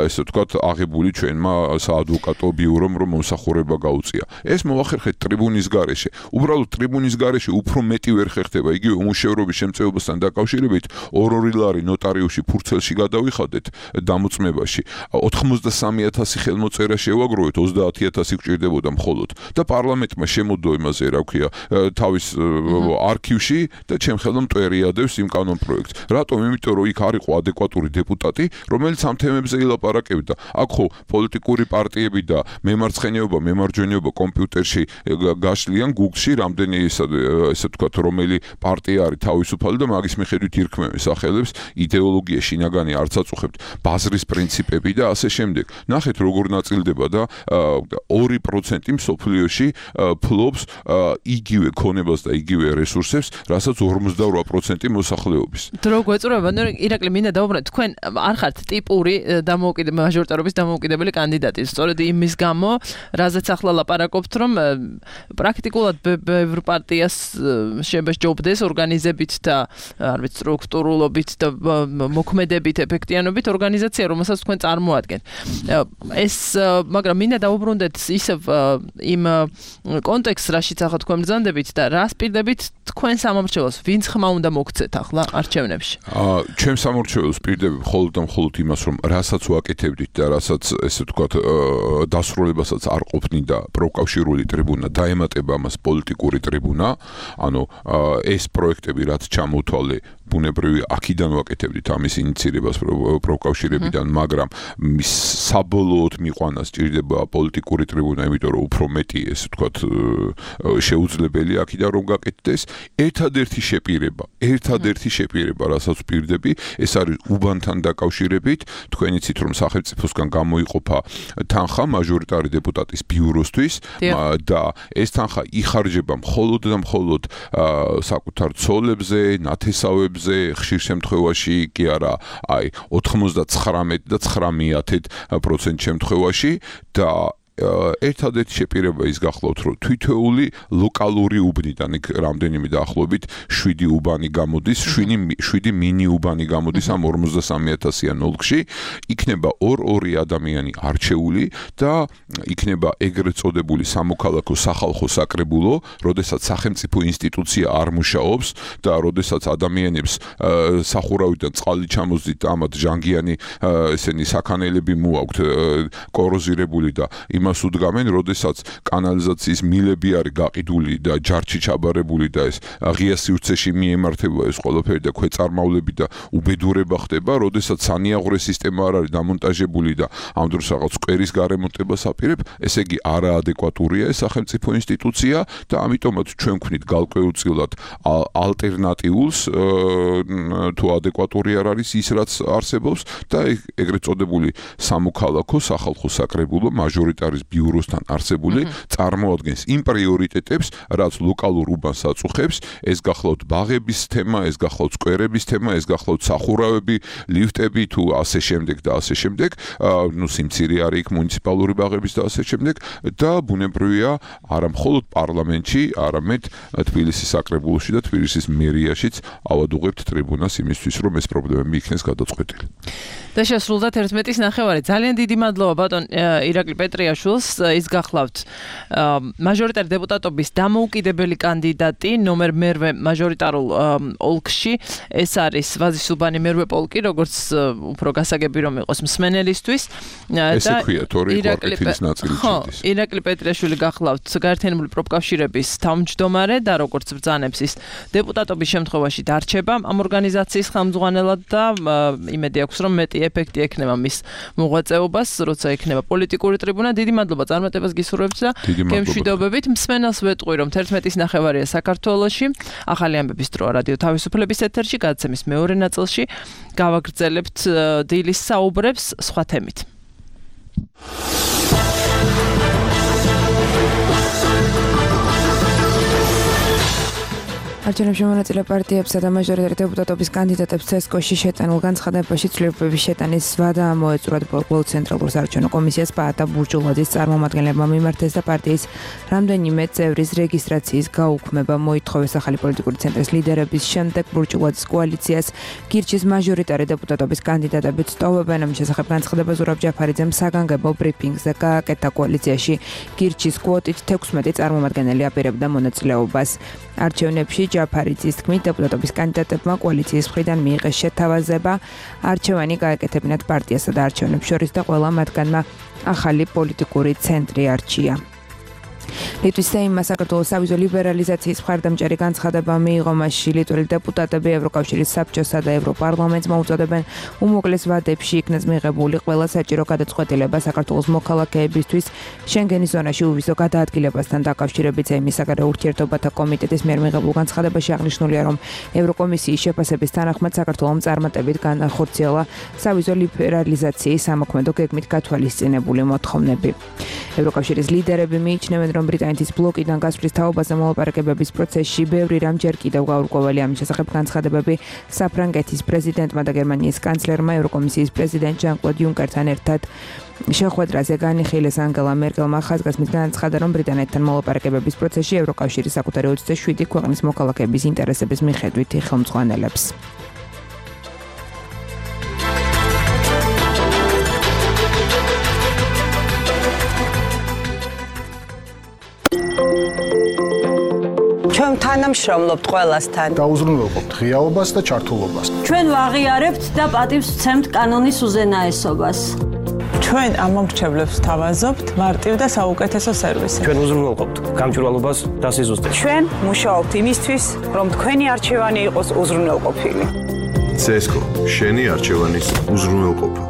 ესე ვთქვათ აღებული ჩვენმა საადვოკატო ბიურომ რომ მომსახურება გაუწია. ეს მოახერხეთ ტრიბუნის გარეშე. უბრალოდ ტრიბუნის გარეშე უფრო მეტი ვერ ხერხდება. იგივე უმუშევრობის შემწეობასთან დაკავშირებით 2 ლარი ნოტარიუსში ფურცელში გადავიხადეთ დამოწმებაში. 93,000 ხელმოწერა შევაგროვეთ 30,000 გჭირდებოდა მხოლოდ და პარლამენტმა შემოდო იმაზე რა ქვია თავის არქივში და ჩემ ხელმა მტვერიადებს იმ კანონპროექტს. რატომ? იმიტომ რომ იქ არ იყო ადეკვატური დეპუტატი, რომელიც ამ თემებზე ილაპარაკებდა. აქ ხო პოლიტიკური პარტიები და მემარცხენეობა, მემარჯვენეობა კომპიუტერში გაშლიან Google-ში რამდენი ესე ვთქვათ რომელი პარტია არის თავისუფალი და მაგის მიხედვით ირქმევენ სახელებს, იდეოლოგია შინაგანი არც აწუხებთ, ბაზრის პრინციპები და ასე შემდეგ. ნახეთ როგორ ნაწილდება და 2% მსოფლიოში ფლობს იგივე ქონებას და იგივე რესურსებს, რასაც 58% მოსახლეობის.
დრო გვეწურება, ირაკლი მინდა დაუბრუნდეთ, თქვენ არ ხართ ტიპური მაჟორიტარობის დამოუკიდებელი კანდიდატი. სწორედ იმის გამო, რაზეც ახლა ლაპარაკობთ, რომ პრაქტიკულად ბევრ პარტიას შეჯობდეს ორგანიზებით და არ ვიცი სტრუქტურულობით და მოქმედებით, ეფექტიანობით ორგანიზაცია, რომელსაც თქვენ წარმოადგენთ. ეს მაგრამ მინდა დაუბრუნდეთ ისევ იმ კონტექსტს, რაშიც ახლა თქვენ ბრძანდებით და რას პირდებით თქვენ სამომრჩეველს, ვინც ხმა უნდა მოგცეთ ახლა არჩევნებში?
ჩვენ სამომრჩეველს პირდები მხოლოდ და მხოლოდ იმას, რომ რასაც ვაკეთებდით და რასაც ესე ვთქვათ დასრულებასაც არ ყოფნიდა პროკავშირული ტრიბუნა, დაემატება ამას პოლიტიკური ტრიბუნა, ანუ ეს პროექტები რაც ჩამოთვალე ბუნებრივი აქედან ვაკეთებდით ამის ინიცირებას პროკავშირებიდან, მაგრამ საბოლოოდ მიყვანას ჭირდება პოლიტიკური ტრიბუნა, იმიტომ რომ უფრო მეტი ესე ვთქვათ შეუძლებელი აქედან რომ გაკეთდეს. ერთადერთი შეპირება, რასაც ვპირდები, ეს არის უბანთან დაკავშირებით. თქვენ იცით რომ სახელმწიფოსგან გამოიყოფა თანხა მაჟორიტარი დეპუტატის ბიუროსთვის და ეს თანხა იხარჯება მხოლოდ და მხოლოდ საკუთარ ცოლებზე, ნათესავებზე, ხშირ შემთხვევაში კი არა, აი 99.9% შემთხვევაში და ერთადერთი შეპირება ის გახლავთ, რომ თითოეული ლოკალური უბნიდან იქ რამდენიმე დაახლოებით 7 უბანი გამოდის, 7 მინი უბანი გამოდის ამ 53,000-იან ოლქში, იქნება 2 ადამიანი არჩეული და იქნება ეგრეთ წოდებული სამოქალაქო სახალხო საკრებულო, როდესაც სახელმწიფო ინსტიტუცია არ მუშაობს და როდესაც ადამიანებს სახურავიდან წყალი ჩამოздით ამათ ჟანგიანი ესენი საქანელები მოაქვთ კოროზირებული და იმას იმას უდგამენ, როდესაც კანალიზაციის მილები არის გაყიდული და ჯარში ჩაბარებული და ეს ღია სივრცეში მიემართება ეს ყველაფერი და ქვეწარმავლები და უბედურება ხდება, როდესაც სანიაღვრე სისტემა არ არის დამონტაჟებული და ამ დროს რაღაც სკვერის გარემონტებას აპირებ, ესე იგი არაადეკვატურია ეს სახელმწიფო ინსტიტუცია და ამიტომაც ჩვენ ვქნით გარკვეულწილად ალტერნატიულს თუ ადეკვატური არ არის ის რაც არსებობს და ეგრეთ წოდებული სამოქალაქო სახალხო საკრებულო მაჟორიტარის ბიუროსთან არსებული წარმოადგენს იმ პრიორიტეტებს, რაც ლოკალურ უბანს აწუხებს, ეს გახლავთ ბაღების თემა, ეს გახლავთ სკვერების თემა, ეს გახლავთ სახურავები, ლიფტები თუ ასე შემდეგ და ასე შემდეგ, სიმცირე არის იქ მუნიციპალური ბაღების და ასე შემდეგ და ბუნებრივია არა მხოლოდ პარლამენტში, არამედ თბილისის საკრებულოში და თბილისის მერიაშიც ავადუღებთ ტრიბუნას იმისთვის, რომ ეს პრობლემები იქნეს გადაწყვეტილი.
და შესრულდა 11:09. ძალიან დიდი მადლობა ბატონ ირაკლი პეტრიაშვილს. ის გახლავთ მაჟორიტარი დეპუტატობის დამოუკიდებელი კანდიდატი ნომერ მერვე მაჟორიტარულ ოლქში. ეს არის ვაზისუბანი მერვე პოლკი, როგორც უფრო გასაგები რომ იყოს მსმენელისთვის.
ესე ქვია, თორი კვარტეთის ნაწილი ჩადის.
ირაკლი პეტრიაშვილი გახლავთ გაერთიანებული პროფკავშირების თავმჯდომარე და როგორც ბრძანებს ის დეპუტატობის შემთხვევაში დარჩება ამ ორგანიზაციის ხელმძღვანელად და იმედი აქვს რომ მეტი ეფექტი ექნება მის მოღვაწეობას, როცა ექნება პოლიტიკური ტრიბუნა. დიდი მადლობა წარმატებას გისურვებთ და გემშვიდობებით. მსმენელს ვეტყვი რომ 11:09 საქართველოში ახალი ამბების დრო რადიო თავისუფლების ეთერში გადაცემის მეორე ნაწილში გავაგრძელებთ დილის საუბრებს სხვა თემით.
არჩევნებში მონაწილე პარტიებსა და მაჟორიტარი დეპუტატობის კანდიდატებს ცესკოში შეტანილ განცხადებაში ცვლილებების შეტანის ვადა მოეწურათ ბოლო ცენტრალურ საარჩევნო კომისიას პაატა ბურჯულაძის წარმომადგენლებმა მიმართეს და პარტიის რამდენიმე წევრის რეგისტრაციის გაუქმება მოითხოვეს ახალი პოლიტიკური ცენტრის ლიდერების შემდეგ ბურჯულაძის კოალიციას გირჩის მაჟორიტარი დეპუტატობის კანდიდატები სტოვებენ. ამ შესახებ განცხადება ზურაბ ჯაფარიძემ საგანგებო ბრიფინგზე გააკეთა. კოალიციაში გირჩის კვოტით 16 წარმომადგენელი აპირებდა მონაწილეობას. არჩევნებში ჯაფარიძის თქმით დეპუტატობის კანდიდატებმა კოალიციის მხრიდან მიიღეს შეთავაზება არჩევანი გაეკეთებინათ პარტიასა და არჩევნებს შორის და ყველა მათგანმა ახალი პოლიტიკური ცენტრი არჩია. ლიტვის სეიმმა საქართველოს სავიზო ლიბერალიზაციის მხარდამჭერი განცხადება მიიღო. მასში ლიტველი დეპუტატები ევროკავშირის საბჭოსა და ევროპარლამენტს მოუწოდებენ უმოკლეს ვადებში იქნეს მიღებული ყველა საჭირო გადაწყვეტილება საქართველოს მოქალაქეებისთვის შენგენის ზონაში უვიზო გადაადგილებასთან დაკავშირებით. სეიმის საგარეო ურთიერთობათა კომიტეტის მიერ მიღებულ განცხადებაში აღნიშნულია, რომ ევროკომისიის შეფასების თანახმად საქართველომ წარმატებით განახორციელა სავიზო ლიბერალიზაციის სამოქმედო გეგმით გათვალისწინებული მოთხოვნები. ევროკავშირის ლიდერები მიიჩნევენ, რომ ბრიტანეთის ბლოკიდან გასვლის თაობაზე მოლაპარაკებების პროცესში ბევრი რამ ჯერ კიდევ გაურკვეველია. ამის შესახებ განცხადებები საფრანგეთის პრეზიდენტმა და გერმანიის კანცლერმა ევროკომისიის პრეზიდენტ ჟან-კლოდ იუნკერთან ერთად შეხვედრაზე განიხილეს. ანგელა მერკელმა ხაზგასმით განაცხადა, რომ ბრიტანეთთან მოლაპარაკებების პროცესში ევროკავშირი საკუთარი 27 ქვეყნის მოქალაქეების ინტერესების მიხედვით ხელმძღვანელებს.
ჩვენ თანამშრომლობთ ყველასთან.
დაუზრუნველყოფთ ღიაობას და ჩართულობას.
ჩვენ ვაღიარებთ და პატივს ვცემთ კანონის უზენაესობას.
ჩვენ ამომრჩევლებს თავაზობთ მარტივ და საუკეთესო სერვისი.
ჩვენ უზრუნველყოფთ გამჭვირვალობას და სიზუსტეს.
ჩვენ მუშაობთ იმისთვის, რომ თქვენი არჩევანი იყოს უზრუნველყოფილი.
ცესკო, შენი არჩევანის უზრუნველყოფა.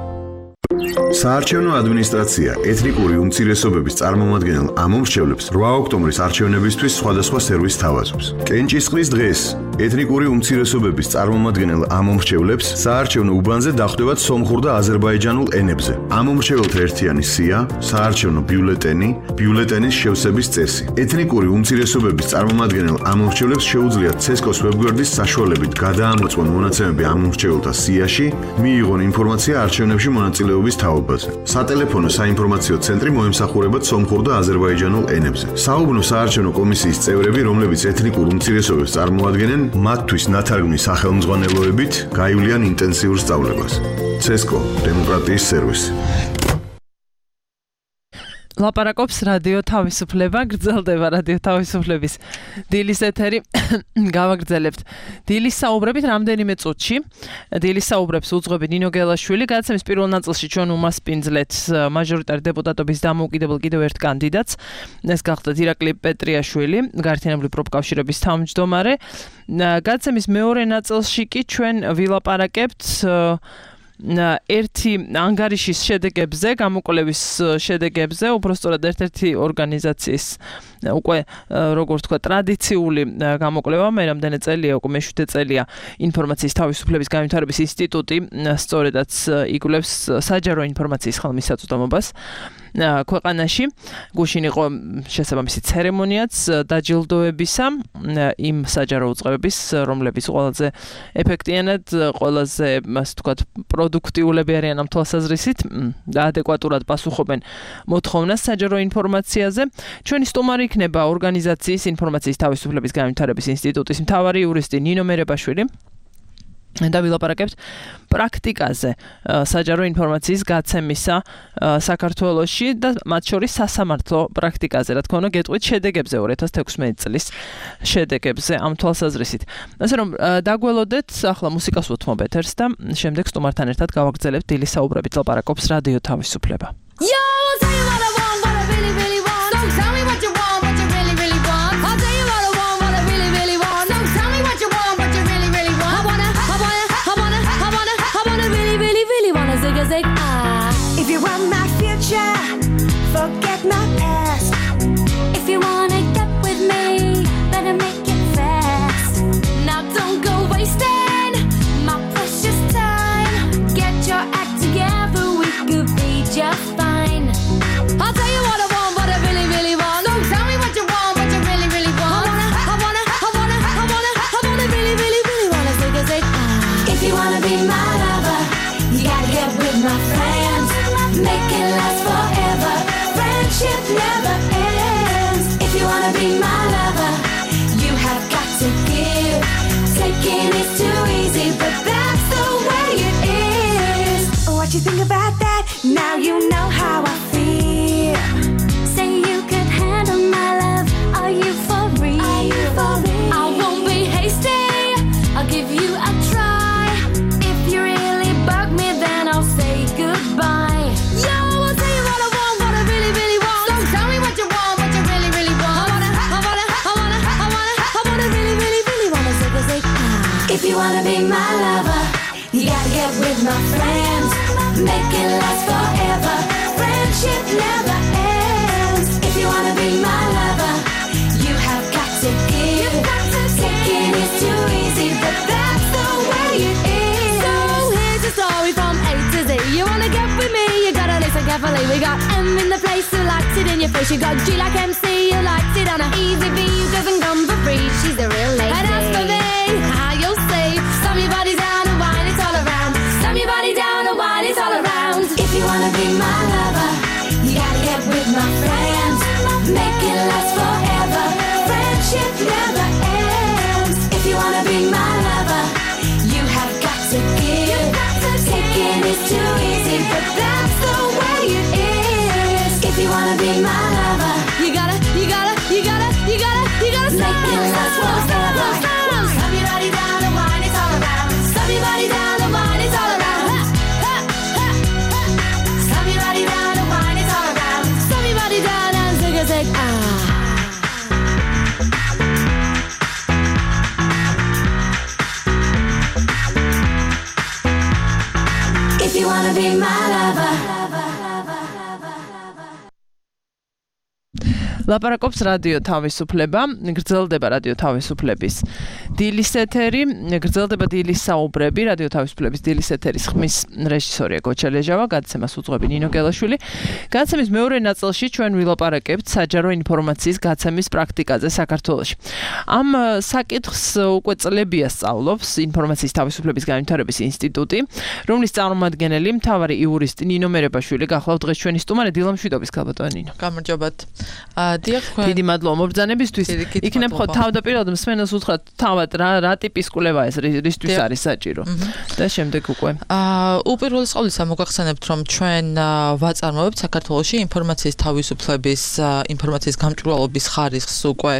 საარჩევნო ადმინისტრაცია ეთნიკური უმცირესობების წარმომადგენელ ამომრჩევლებს 8 ოქტომბრის არჩევნებისთვის სხვადასხვა სერვისს თავაზობს. კენჭისყრის დღეს ეთნიკური უმცირესობების წარმომადგენელ ამომრჩევლებს საარჩევნო უბანზე დახვდებათ სომხურ და აზერბაიჯანულ ენებზე. ამომრჩეველთა ერთიანი სია, საარჩევნო ბიულეტენი, ბიულეტენის შევსების წესი. ეთნიკური უმცირესობების წარმომადგენელ ამომრჩევლებს შეუძლიათ ცესკოს ვებგვერდის საშუალებით გადაამოწმონ მონაცემები ამომრჩეველთა სიაში, მიიღონ ინფორმაცია არჩევნებში მონაწილეობის თაობაზე. სატელეფონო საინფორმაციო ცენტრი მოემსახურებათ სომხურ და აზერბაიჯანულ ენებზე. საუბნო საარჩევნო კომისიის წევრები, რომლებიც ეთნიკურ უმცირესობებს წარმოადგენენ, მათთვის ნათარგმნის სახელმძღვანელოებით გაივლიან ინტენსიურ სწავლებას. ცესკო, დემოკრატიის სერვისი.
ლაპარაკობს რადიო თავისუფლება, გრძელდება რადიო თავისუფლების დილის ეთერი. გავაგრძელებთ დილის საუბრებით რამდენიმე წუთში. დილის საუბრებს უძღვები ნინო გელაშვილი. გადაცემის პირველ ნაწილში ჩვენ უმასპინძლეთ მაჟორიტარი დეპუტატობის დამოუკიდებელ კიდევ ერთ კანდიდატს. ეს გახდათ ირაკლი პეტრიაშვილი, გაერთიანებული პროფკავშირების თავმჯდომარე. გადაცემის მეორე ნაწილში კი ჩვენ ვილაპარაკებთ ერთი ანგარიშის შედეგებზე, გამოკვლევის შედეგებზე, უბრალოდ ერთ-ერთი ორგანიზაციის უკვე როგორც თქვა ტრადიციული გამოკვლევა, მე რამდენი წელია, უკვე მე-7 წელია ინფორმაციის თავისუფლების განვითარების ინსტიტუტი სწორედაც იკვლევს საჯარო ინფორმაციის ხელმისაწვდომობას ქვეყანაში. გუშინ იყო შესაბამისი ცერემონიაც დაჯილდოებისა იმ საჯარო უწყებების, რომლებიც ყველაზე ეფექტიანად, ყველაზე, ასე ვთქვათ, პროდუქტიულები არიან ამ თვალსაზრისით და ადეკვატურად პასუხობენ მოთხოვნას საჯარო ინფორმაციაზე. ჩვენი სტუმარი იქნება ორგანიზაციის ინფორმაციის თავისუფლების განვითარების ინსტიტუტის მთავარი იურისტი ნინო მერებაშვილი. და ვილაპარაკებთ პრაქტიკაზე საჯარო ინფორმაციის გაცემისა საქართველოში და მათ შორის სასამართლო პრაქტიკაზე, რა თქმა უნდა, გეტყვით შედეგებზე 2016 წლის შედეგებზე ამ თვალსაზრისით. ასე რომ დაგველოდეთ, ახლა მუსიკას ვუთმობ ეთერს და შემდეგ სტუმართან ერთად გავაგრძელებთ დილის საუბრებით ლაპარაკობს რადიო თავისუფლება.
If you want my future, forget my past. If you wanna get with me, better make it fast. Now don't go wasting my precious time. Get your act together, we could be just fine. I'll tell you what I want, what I really, really want. So tell me what you want, what you really, really want. I wanna really, really, really wanna zig. If you wanna be my lover, you gotta get with my friends. Make it last forever. Friendship never ends. If you wanna be my lover, you have got to give. Taking is too easy, but that's the way it is. What you think about that? Now you know how I feel. Say you could handle my love. Are you for real? Are you for real? I won't be hasty. I'll give you a try. If you really bug me, then I'll say goodbye. If you wanna be my lover, you gotta get with my friends. Make it last forever. Friendship never ends. If you wanna be my lover, you have got to give. Taking is too easy, but that's the way it is. So here's a story from A to Z. You wanna get with me, you gotta listen carefully. We got M in the place who likes it in your face. You got G like MC, you likes it on a easy B. You doesn't come for free, she's a real lady. And as for me, how you'll say, slam your body down and wine, it's all around. Slam your body down and wine, it's all around. If you wanna be my lover, you gotta get with my friends. Make it last forever. Friendship never ends. If you wanna be my lover, you have got to give. Taking is too easy, but that's the way it is. If you wanna be my lover, you gotta make it last forever. Slam your body down and wine, it's all around. Slam your body down and wine, it's all around. Slam your body down and wine, it's all around. Slam your body down and zig. If you wanna be my lover.
ლაპარაკობს რადიო თავისუფლება, გრძელდება რადიო თავისუფლების დილის ეთერი, გრძელდება დილის საუბრები, რადიო თავისუფლების დილის ეთერის ხმის რეჟისორია გოჩა ლეჟავა, გადაცემას უძღვები ნინო გელაშვილი. გადაცემის მეორე ნაწილში ჩვენ ვილაპარაკებთ საჯარო ინფორმაციის გაცემის პრაქტიკაზე საქართველოში. ამ საკითხს უკვე წლებია სწავლობს ინფორმაციის თავისუფლების განვითარების ინსტიტუტი, რომლის წარმომადგენელი მთავარი იურისტი ნინო მერებაშვილი გახლავთ დღეს ჩვენი სტუმარი დილამშვიდობის ქალბატონი ნინო.
გამარჯობათ. დიახ, თქვენ
დიდი მადლობა მობრძანებისთვის. იქნებ ხო თავდაპირველად მსმენელს უთხრათ თავად რა ტიპის კვლევა ეს რისთვის არის საჭირო და შემდეგ უკვე.
უპირველეს ყოვლისა მოგახსენებთ რომ ჩვენ ვაწარმოებთ საქართველოში ინფორმაციის თავისუფლების ინფორმაციის გამჭვირვალობის ხარისხს უკვე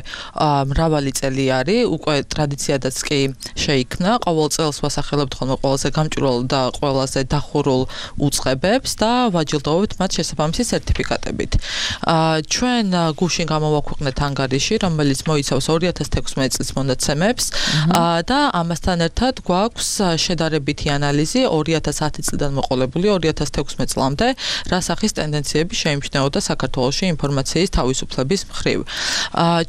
მრავალი წელი არის, უკვე ტრადიციადაც კი შეიქმნა. ყოველ წელს ვასახელებთ ხოლმე ყველაზე გამჭვირვალ და ყველაზე დახურულ უწყებებს და ვაჯილდოვებთ მათ შესაბამისი სერტიფიკატებით. ჩვენ გუშინ გამოვაქვეყნეთ ანგარიში, რომელიც მოიცავს 2016 წლის მონაცემებს და ამასთან ერთად გვაქვს შედარებითი ანალიზი 2010 წლიდან მოყოლებული 2016 წლამდე, რა სახის ტენდენციები შეიმჩნეოდა საქართველოში ინფორმაციის თავისუფლების მხრივ.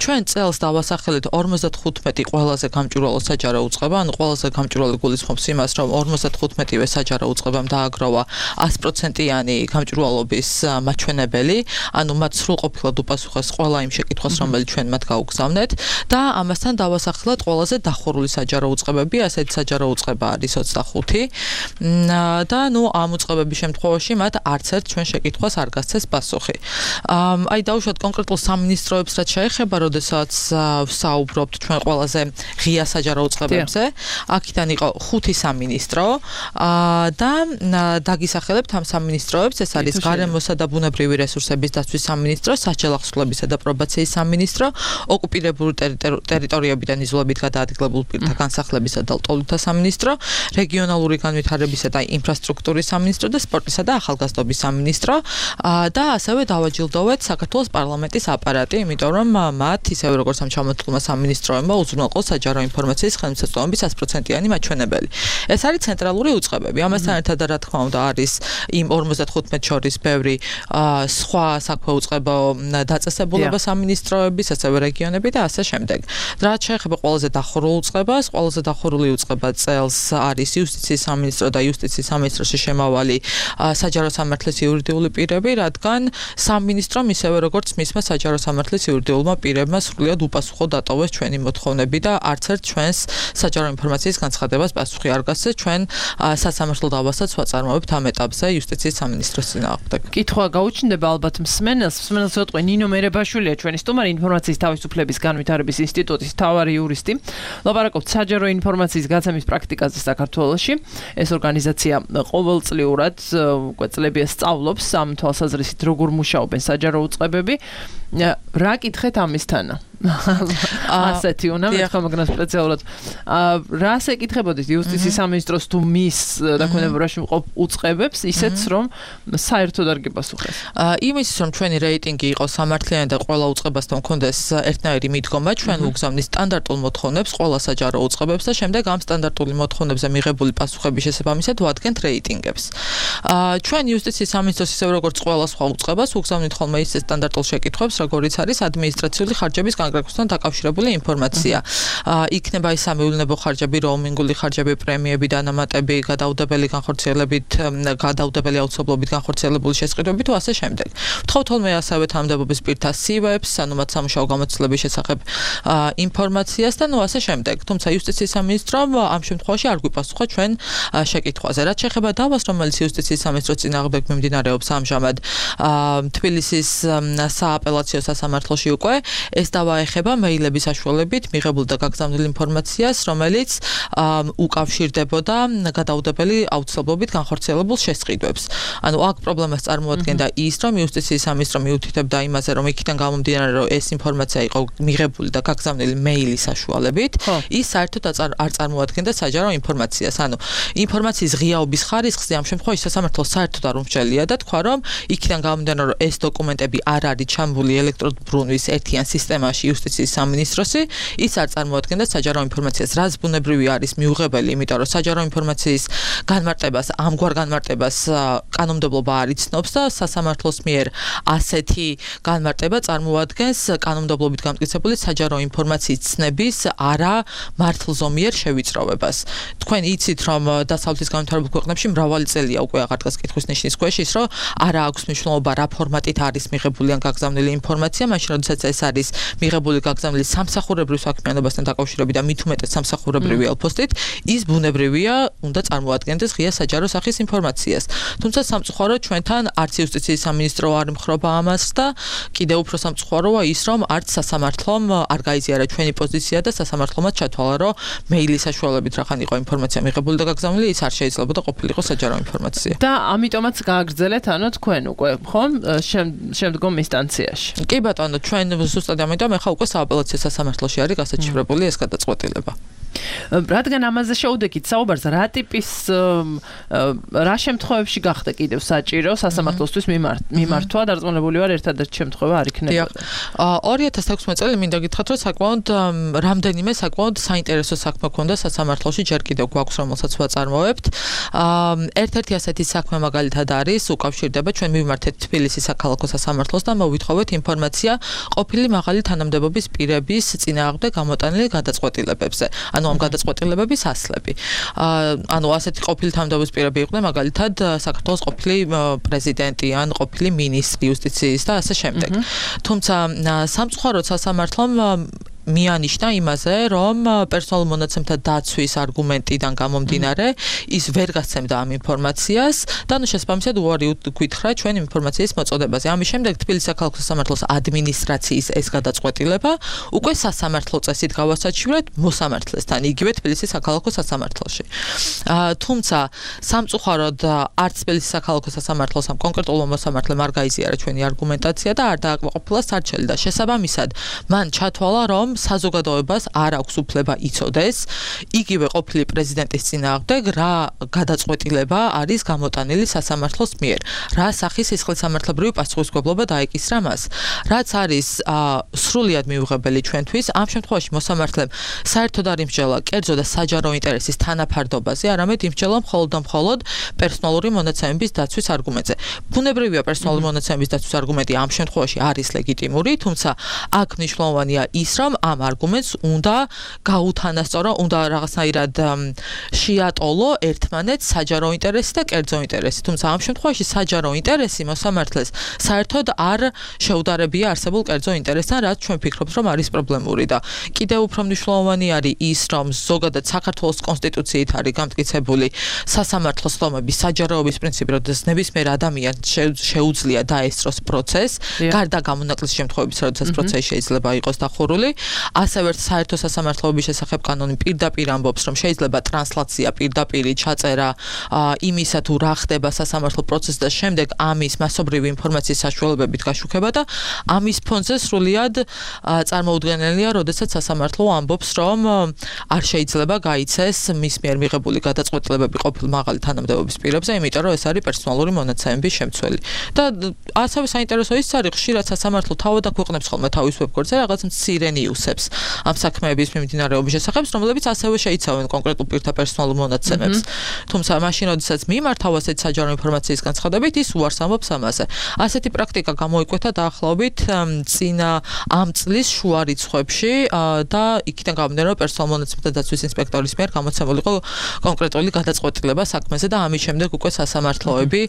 ჩვენ წელს დავასახელეთ 55 ყველაზე გამჭვირვალო საჯარო უწყება, ანუ ყველაზე გამჭვირვალე გულისხმობს იმას, რომ 55-ვე საჯარო უწყებამ დააგროვა 100%-იანი გამჭვირვალობის მაჩვენებელი, ანუ მათ სრულყოფილად უპასუხეს ყველა იმ შეკითხვას, რომელიც ჩვენ მათ გაუგზავნეთ და ამასთან დავასახელეთ ყველაზე დახურული საჯარო უწყებები, ასეთი საჯარო უწყება არის 25 და ამ უწყებების შემთხვევაში მათ არც ერთ ჩვენ შეკითხვას არ გასცეს პასუხი. აი დავუშვათ კონკრეტულ სამინისტროებს რაც შეეხება, როდესაც ვსაუბრობთ ჩვენ ყველაზე ღია საჯარო უწყებებზე, აქედან იყო 5 სამინისტრო და დაგისახელებთ ამ სამინისტროებს, ეს არის გარემოსა და ბუნებრივი რესურსების დაცვის სამინისტრო, საჯელახსრულებისა და პრობაციის სამინისტრო, ოკუპირებული ტერიტორიებიდან იზოლებით გადაადგილებულ პირთა განსახლებისა და ლტოლვილთა სამინისტრო, რეგიონალური განვითარებისა და ინფრასტრუქტურის სამინისტრო და სპორტისა და ახალგაზრდობის სამინისტრო და ასევე დავაჯილდოვეთ საქართველოს პარლამენტის აპარატი, იმიტომ რომ მათ ისევე როგორც ამ ჩამოთვლილმა სამინისტროებმა უზრუნველყო საჯარო ინფორმაციის ხელმისაწვდომობის 100%-იანი მაჩვენებელი. ეს არის ცენტრალური უწყებები. ამასთან ერთად რა თქმა უნდა არის იმ 55 შორის ბევრი სხვა საქმე უწყება დაწესებულება სამინისტროების, ასევე რეგიონები და ასე შემდეგ. რაც შეეხება ყველაზე დახურულ უწყებას, ყველაზე დახურული უწყება წელს არის იუსტიციის სამინისტრო და იუსტიციის სამინისტროში შემავალი საჯარო სამართლის იურიდიული პირები, რადგან სამინისტრომ ისევე როგორც მისმა საჯარო სამართლის იურიდიულმა პირებმა სრულად უპასუხო დატოვეს ჩვენი მოთხოვნები და არც ერთ ჩვენს საჯარო ინფორმაციის განცხადებას პასუხი არ გასცეს. ჩვენ სასამართლო დავასაც ვაწარმოებთ ამ ეტაპზე იუსტიციის სამინისტროს წინააღმდეგ.
კითხვა გაუჩნდება ალბათ მსმენელს ეტყვი ნინო მერებაშვილია ჩვენი სტუმარი ინფორმაციის თავისუფლების განვითარების ინსტიტუტის მთავარი იურისტი. ლაპარაკობთ საჯარო ინფორმაციის გაცემის პრაქტიკაზე საქართველოში. ეს ორგანიზაცია ყოველწლიურად უკვე წლებია სწავლობს ამ თვალსაზრისით როგორ მუშაობენ საჯარო უწყებები. რა კითხეთ ამისთანა? ასეთი უნდა მეთქვა, მაგრამ სპეციალურად რას ეკითხებოდით იუსტიციის სამინისტროს თუ მის დაქვემდებარებაში მყოფ უწყებებს, ისეც რომ საერთოდ არ გიპასუხეს?
იმისთვის რომ ჩვენი რეიტინგი იყოს სამართლიანი და ყველა უწყებასთან მქონდეს ერთნაირი მიდგომა, ჩვენ ვუგზავნით სტანდარტულ მოთხოვნებს ყველა საჯარო უწყებებს და შემდეგ ამ სტანდარტული მოთხოვნებზე მიღებული პასუხების შესაბამისად ვადგენთ რეიტინგებს. ჩვენ იუსტიციის სამინისტროს ისევ როგორც ყველა სხვა უწყებას ვუგზავნით ხოლმე ისე სტანდარტულ შეკითხვებს, როგორიც არის ადმინისტრაციული ხარჯების კონკრეტულად დაკავშირებული ინფორმაცია. იქნება ის სამეულნებო ხარჯები, როუმინგული ხარჯები, პრემიები, დანამატები, გადაუდებელი განხორციელებით, გადაუდებელი აუცილებლობით განხორციელებული შესყიდვები თუ ასე შემდეგ. ვთხოვთ ხოლმე ასევე თანამდებობის პირთა CV-ებს, ანუ მათ სამუშაო გამოცდილების შესახებ ინფორმაციას და ასე შემდეგ. თუმცა იუსტიციის სამინისტრომ ამ შემთხვევაში არ გვიპასუხა ჩვენ შეკითხვაზე. რაც შეეხება დავას, რომელიც იუსტიციის სამინისტროს წინააღმდეგ მიმდინარეობს ამჟამად თბილისის სააპელაციო სასამართლოში უკვე, ეს დავა ეხება მეილების საშუალებით მიღებულ და გაგზავნილ ინფორმაციას, რომელიც უკავშირდებოდა გადაუდებელი აუცილებლობით განხორციელებულ შესყიდვებს. ანუ აქ პრობლემას წარმოადგენდა ის, რომ იუსტიციის სამინისტრო მიუთითებდა იმაზე, რომ იქიდან გამომდინარე, რომ ეს ინფორმაცია იყო მიღებული და გაგზავნილი მეილის საშუალებით, ის საერთოდ არ წარმოადგენდა საჯარო ინფორმაციას. ანუ ინფორმაციის ღიაობის ხარისხზე ამ შემთხვევაში სასამართლო საერთოდ არ უმსჯელია და თქვა, რომ იქიდან გამომდინარე, რომ ეს დოკუმენტები არ არის ჩამული ელექტრობრუნვის ერთიან სისტემაში იუსტიციის სამინისტროსი, ის არ წარმოადგენდა საჯარო ინფორმაციას, რაც ბუნებრივი არის მიუღებელი, იმიტომ რომ საჯარო ინფორმაციის განმარტებას, ამგვარ განმარტებას კანონმდებლობა არ იცნობს და სასამართლოს მიერ ასეთი განმარტება წარმოადგენს კანონმდებლობით გამტკიცებული საჯარო ინფორმაციის ცნების არა მართლზომიერ შევიწროვებას. თქვენ იცით, რომ დასავლეთის განვითარებულ ქვეყნებში მრავალი წელია უკვე აღარ დგას კითხვის ნიშნის ქვეშ ის, რომ არა აქვს მნიშვნელობა რა ფორმატით არის მიღებული ან გაგზავნილი ინფორმაცია, მაშინ როდესაც ეს არის მიღებული გაგზავნილი სამსახურებრივ საქმიანობასთან დაკავშირებით და მით უმეტეს სამსახურებრივი ელფოსტით, ის ბუნებრივია, უნდა წარმოადგენდეს ღია საჯარო სახის ინფორმაციას. თუმცა სამწუხაროდ ჩვენთან არც იუსტიციის სამინისტრო არ ემხრობა ამას და კიდევ უფრო სამწუხაროა ის, რომ არც სასამართლომ არ გაიზიარა ჩვენი პოზიცია და სასამართლომაც ჩათვალა, რომ მეილის საშუალებით რახან იყო ინფორმაცია მიღებული და გაგზავნილი, ის არ შეიძლებოდა ყოფილიყო საჯარო ინფორმაცია.
და ამიტომაც გააგრძელეთ, ანუ თქვენ უკვე, ხომ, შემდგომ ინსტანციაში.
კი ბატონო, ჩვენ ზუსტად ამიტომ ახლა უკვე სააპელაციო სასამართლოში არის გასაჩივრებული ეს გადაწყვეტილება.
რადგან ამაზე შეუდექით საუბარს, რა ტიპის რა შემთხვევებში გახდა კიდევ საჭირო სასამართლოსთვის მიმართვა, დარწმუნებული ვარ ერთადერთი შემთხვევა არ იქნებოდა.
2016 წელი მინდა გითხრათ, რომ საკმაოდ რამდენიმე საკმაოდ საინტერესო საქმე ქონდა სასამართლოში, ჯერ კიდევ გვაქვს, რომელსაც ვაწარმოებთ. ერთ-ერთი ასეთი საქმე მაგალითად არის, უკავშირდება ჩვენ მივმართეთ თბილისის საქალაქო სასამართლოს და მოვითხოვეთ ინფორმაცია ყოფილი მაღალი თანამდებობის პირების წინააღმდეგ გამოტანილი გადაწყვეტილებებზე. ანუ ამ გადაწყვეტილებების ასლები. ანუ ასეთი ყოფილი თანამდებობის პირები იყვნენ მაგალითად საქართველოს ყოფილი პრეზიდენტი ან ყოფილი მინისტრი იუსტიციის და ასე შემდეგ. თუმცა სამწუხაროდ სასამართლომ მიანიშნა იმაზე, რომ პერსონალურ მონაცემთა დაცვის არგუმენტიდან გამომდინარე, ის ვერ გასცემდა ამ ინფორმაციას და ნუ შესაბამისად უარი გითხრა ჩვენ ინფორმაციის მოწოდებაზე. ამის შემდეგ თბილისის საქალაქო სასამართლოს ადმინისტრაციის ეს გადაწყვეტილება უკვე სასამართლო წესით გავასაჩივრეთ მოსამართლესთან, იგივე თბილისის საქალაქო სასამართლოში. თუმცა სამწუხაროდ არც თბილისის საქალაქო სასამართლოს ამ კონკრეტულ მოსამართლემ არ გაიზიარა ჩვენი არგუმენტაცია და არ დააკმაყოფილა სარჩელი და შესაბამისად მან ჩათვალა, რომ საზოგადოებას არ აქვს უფლება იცოდეს იგივე ყოფილი პრეზიდენტის წინააღმდეგ რა გადაწყვეტილება არის გამოტანილი სასამართლოს მიერ. რა სახის სისხლისამართლებრივი პასუხისმგებლობა დაეკისრა მას. რაც არის სრულიად მიუღებელი ჩვენთვის, ამ შემთხვევაში მოსამართლემ საერთოდ არ იმსჯელა კერძო და საჯარო ინტერესის თანაფარდობაზე, არამედ იმსჯელა მხოლოდ და მხოლოდ პერსონალური მონაცემების დაცვის არგუმენტზე. ბუნებრივია პერსონალური მონაცემების დაცვის არგუმენტი ამ შემთხვევაში არის ლეგიტიმური, თუმცა აქ მნიშვნელოვანია ის, რომ ამ არგუმენტს უნდა გაუთანასწორო, უნდა რაღაცნაირად შეატოლო ერთმანეთს საჯარო ინტერესი და კერძო ინტერესი. თუმცა ამ შემთხვევაში საჯარო ინტერესი მოსამართლეს საერთოდ არ შეუდარებია არსებულ კერძო ინტერესთან, რაც ჩვენ ვფიქრობთ, რომ არის პრობლემური და კიდევ უფრო მნიშვნელოვანი არის ის, რომ ზოგადად საქართველოს კონსტიტუციით არის გამტკიცებული სასამართლოს ლომების საჯაროობის პრინციპი, როდესაც ნებისმიერ ადამიანს შეუძლია დაესწროს პროცესს, გარდა გამონაკლისის შემთხვევების, როდესაც პროცესი შეიძლება იყოს დახურული. ასევე საერთო სასამართლოების შესახებ კანონი პირდაპირ ამბობს, რომ შეიძლება ტრანსლაცია პირდაპირი ჩაწერა იმისა თუ რა ხდება სასამართლო პროცესში და შემდეგ ამის მასობრივი ინფორმაციის საშუალებებით გაშუქება და ამის ფონზე სრულიად წარმოუდგენელია, როდესაც სასამართლო ამბობს, რომ არ შეიძლება გაიცეს მის მიერ მიღებული გადაწყვეტილებები ყოფილ მაღალი თანამდებობის პირებზე, იმიტომ რომ ეს არის პერსონალური მონაცემების შემცველი. და ასევე საინტერესო ის არის, ხშირად სასამართლო თავად აქვეყნებს ხოლმე თავის ვებგვერდზე რაღაც მცირე ნიუსებს ამ საქმეების მიმდინარეობის შესახებ, რომლებიც ასევე შეიცავენ კონკრეტულ პირთა პერსონალურ მონაცემებს. თუმცა მაშინ, როდესაც მიმართავ ასეთ საჯარო ინფორმაციის განცხადებით, ის უარს ამბობს ამაზე. ასეთი პრაქტიკა გამოიკვეთა დაახლოებით წინა ამ წლის შუა რიცხვებში და იქიდან გამომდინარე, რომ პერსონალურ მონაცემთა დაცვის ინსპექტორის მიერ გამოცემული იყო კონკრეტული გადაწყვეტილება საქმეზე და ამის შემდეგ უკვე სასამართლოები,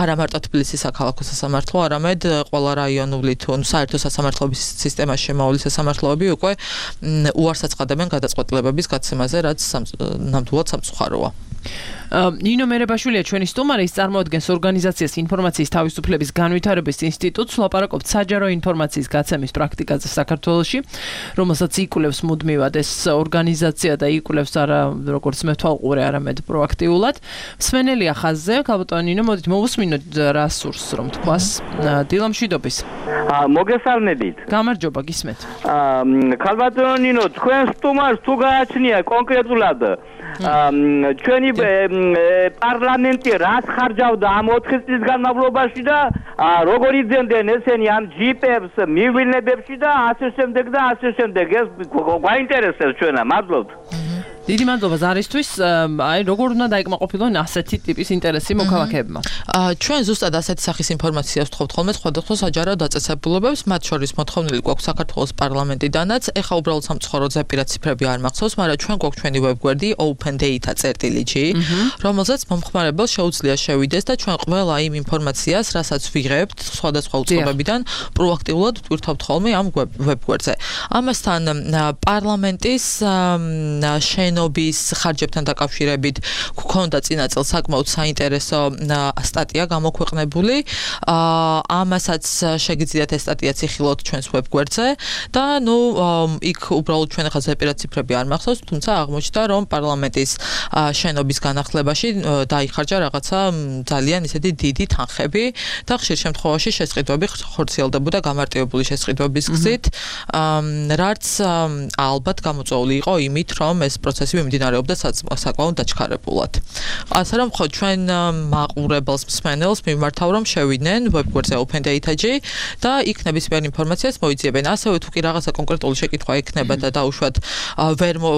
არა მარტო თბილისის საქალაქო სასამართლო, არამედ ყველა რაიონული თუ საერთო სასამართლოების სისტემაში შემავალი სასამართლოები უკვე უარს აცხადებენ გადაწყვეტილებების გაცემაზე, რაც ნამდვილად სამწუხაროა.
ნინო მერებაშვილია ჩვენი სტუმარი, ის წარმოადგენს ორგანიზაციას ინფორმაციის თავისუფლების განვითარების ინსტიტუტს, ლაპარაკობთ საჯარო ინფორმაციის გაცემის პრაქტიკაზე საქართველოში, რომელსაც იკვლევს მუდმივად ეს ორგანიზაცია და იკვლევს არა როგორც მეთვალყურე, არამედ პროაქტიულად. მსმენელია ხაზზე, ქალბატონო ნინო, მოდით მოვუსმინოთ რა სურს, რომ თქვას. დილა მშვიდობის.
მოგესალმებით.
გამარჯობა, გისმენთ.
ქალბატონო ნინო, თქვენ სტუმარს თუ გააჩნია კონკრეტულად ჩვენი პარლამენტი რას ხარჯავდა ამ 4 წლის განმავლობაში და როგორ იძენდნენ ესენი ამ ჯიპებს მივილნებებში და ასე შემდეგ და ასე შემდეგ. ეს გვაინტერესებს ჩვენა, მადლობთ.
დიდი მადლობა ზარისთვის. აი როგორ უნდა დაიკმაყოფილონ ასეთი ტიპის ინტერესი მოქალაქეებმა?
ჩვენ ზუსტად ასეთი სახის ინფორმაციას ვთხოვთ ხოლმე სხვადასხვა საჯარო დაწესებულებებს, მათ შორის მოთხოვნილი გვაქვს საქართველოს პარლამენტიდანაც. ეხლა უბრალოდ სამწუხარო ზეპირად ციფრები არ მახსოვს, მაგრამ ჩვენ გვაქვს ჩვენი ვებგვერდი opendata.gr, რომელზეც მომხმარებელს შეუძლია შევიდეს და ჩვენ ყველა იმ ინფორმაციას, რასაც ვიღებთ სხვადასხვა უწყებებიდან, პროაქტიულად ვტვირთავთ ხოლმე ამ ვებგვერდზე. ამასთან პარლამენტის შენობის ხარჯებთან დაკავშირებით გვქონდა წინა წელს საკმაოდ საინტერესო სტატია გამოქვეყნებული. ამასაც შეგიძლიათ ეს სტატია ციხილოთ ჩვენს ვებგვერდზე და იქ უბრალოდ ჩვენ ახლა ზეპირად ციფრები არ მახსოვს, თუმცა აღმოჩნდა რომ პარლამენტის შენობის განახლებაში დაიხარჯა რაღაცა ძალიან ისეთი დიდი თანხები და ხშირ შემთხვევაში შესყიდვები ხორციელდებოდა გამარტივებული შესყიდვების გზით, რაც ალბათ გამოწვეული იყო იმით, რომ ეს პროცესი მიმდინარეობდა საკმაოდ დაჩქარებულად. ასე რომ ხო ჩვენ მაყურებელს მსმენელს მიმართავ რომ შევიდნენ ვებგვერდზე opendata.gr და იქ ნებისმიერ ინფორმაციას მოიძიებენ. ასევე თუ კი რაღაცა კონკრეტული შეკითხვა ექნება და დაუშვათ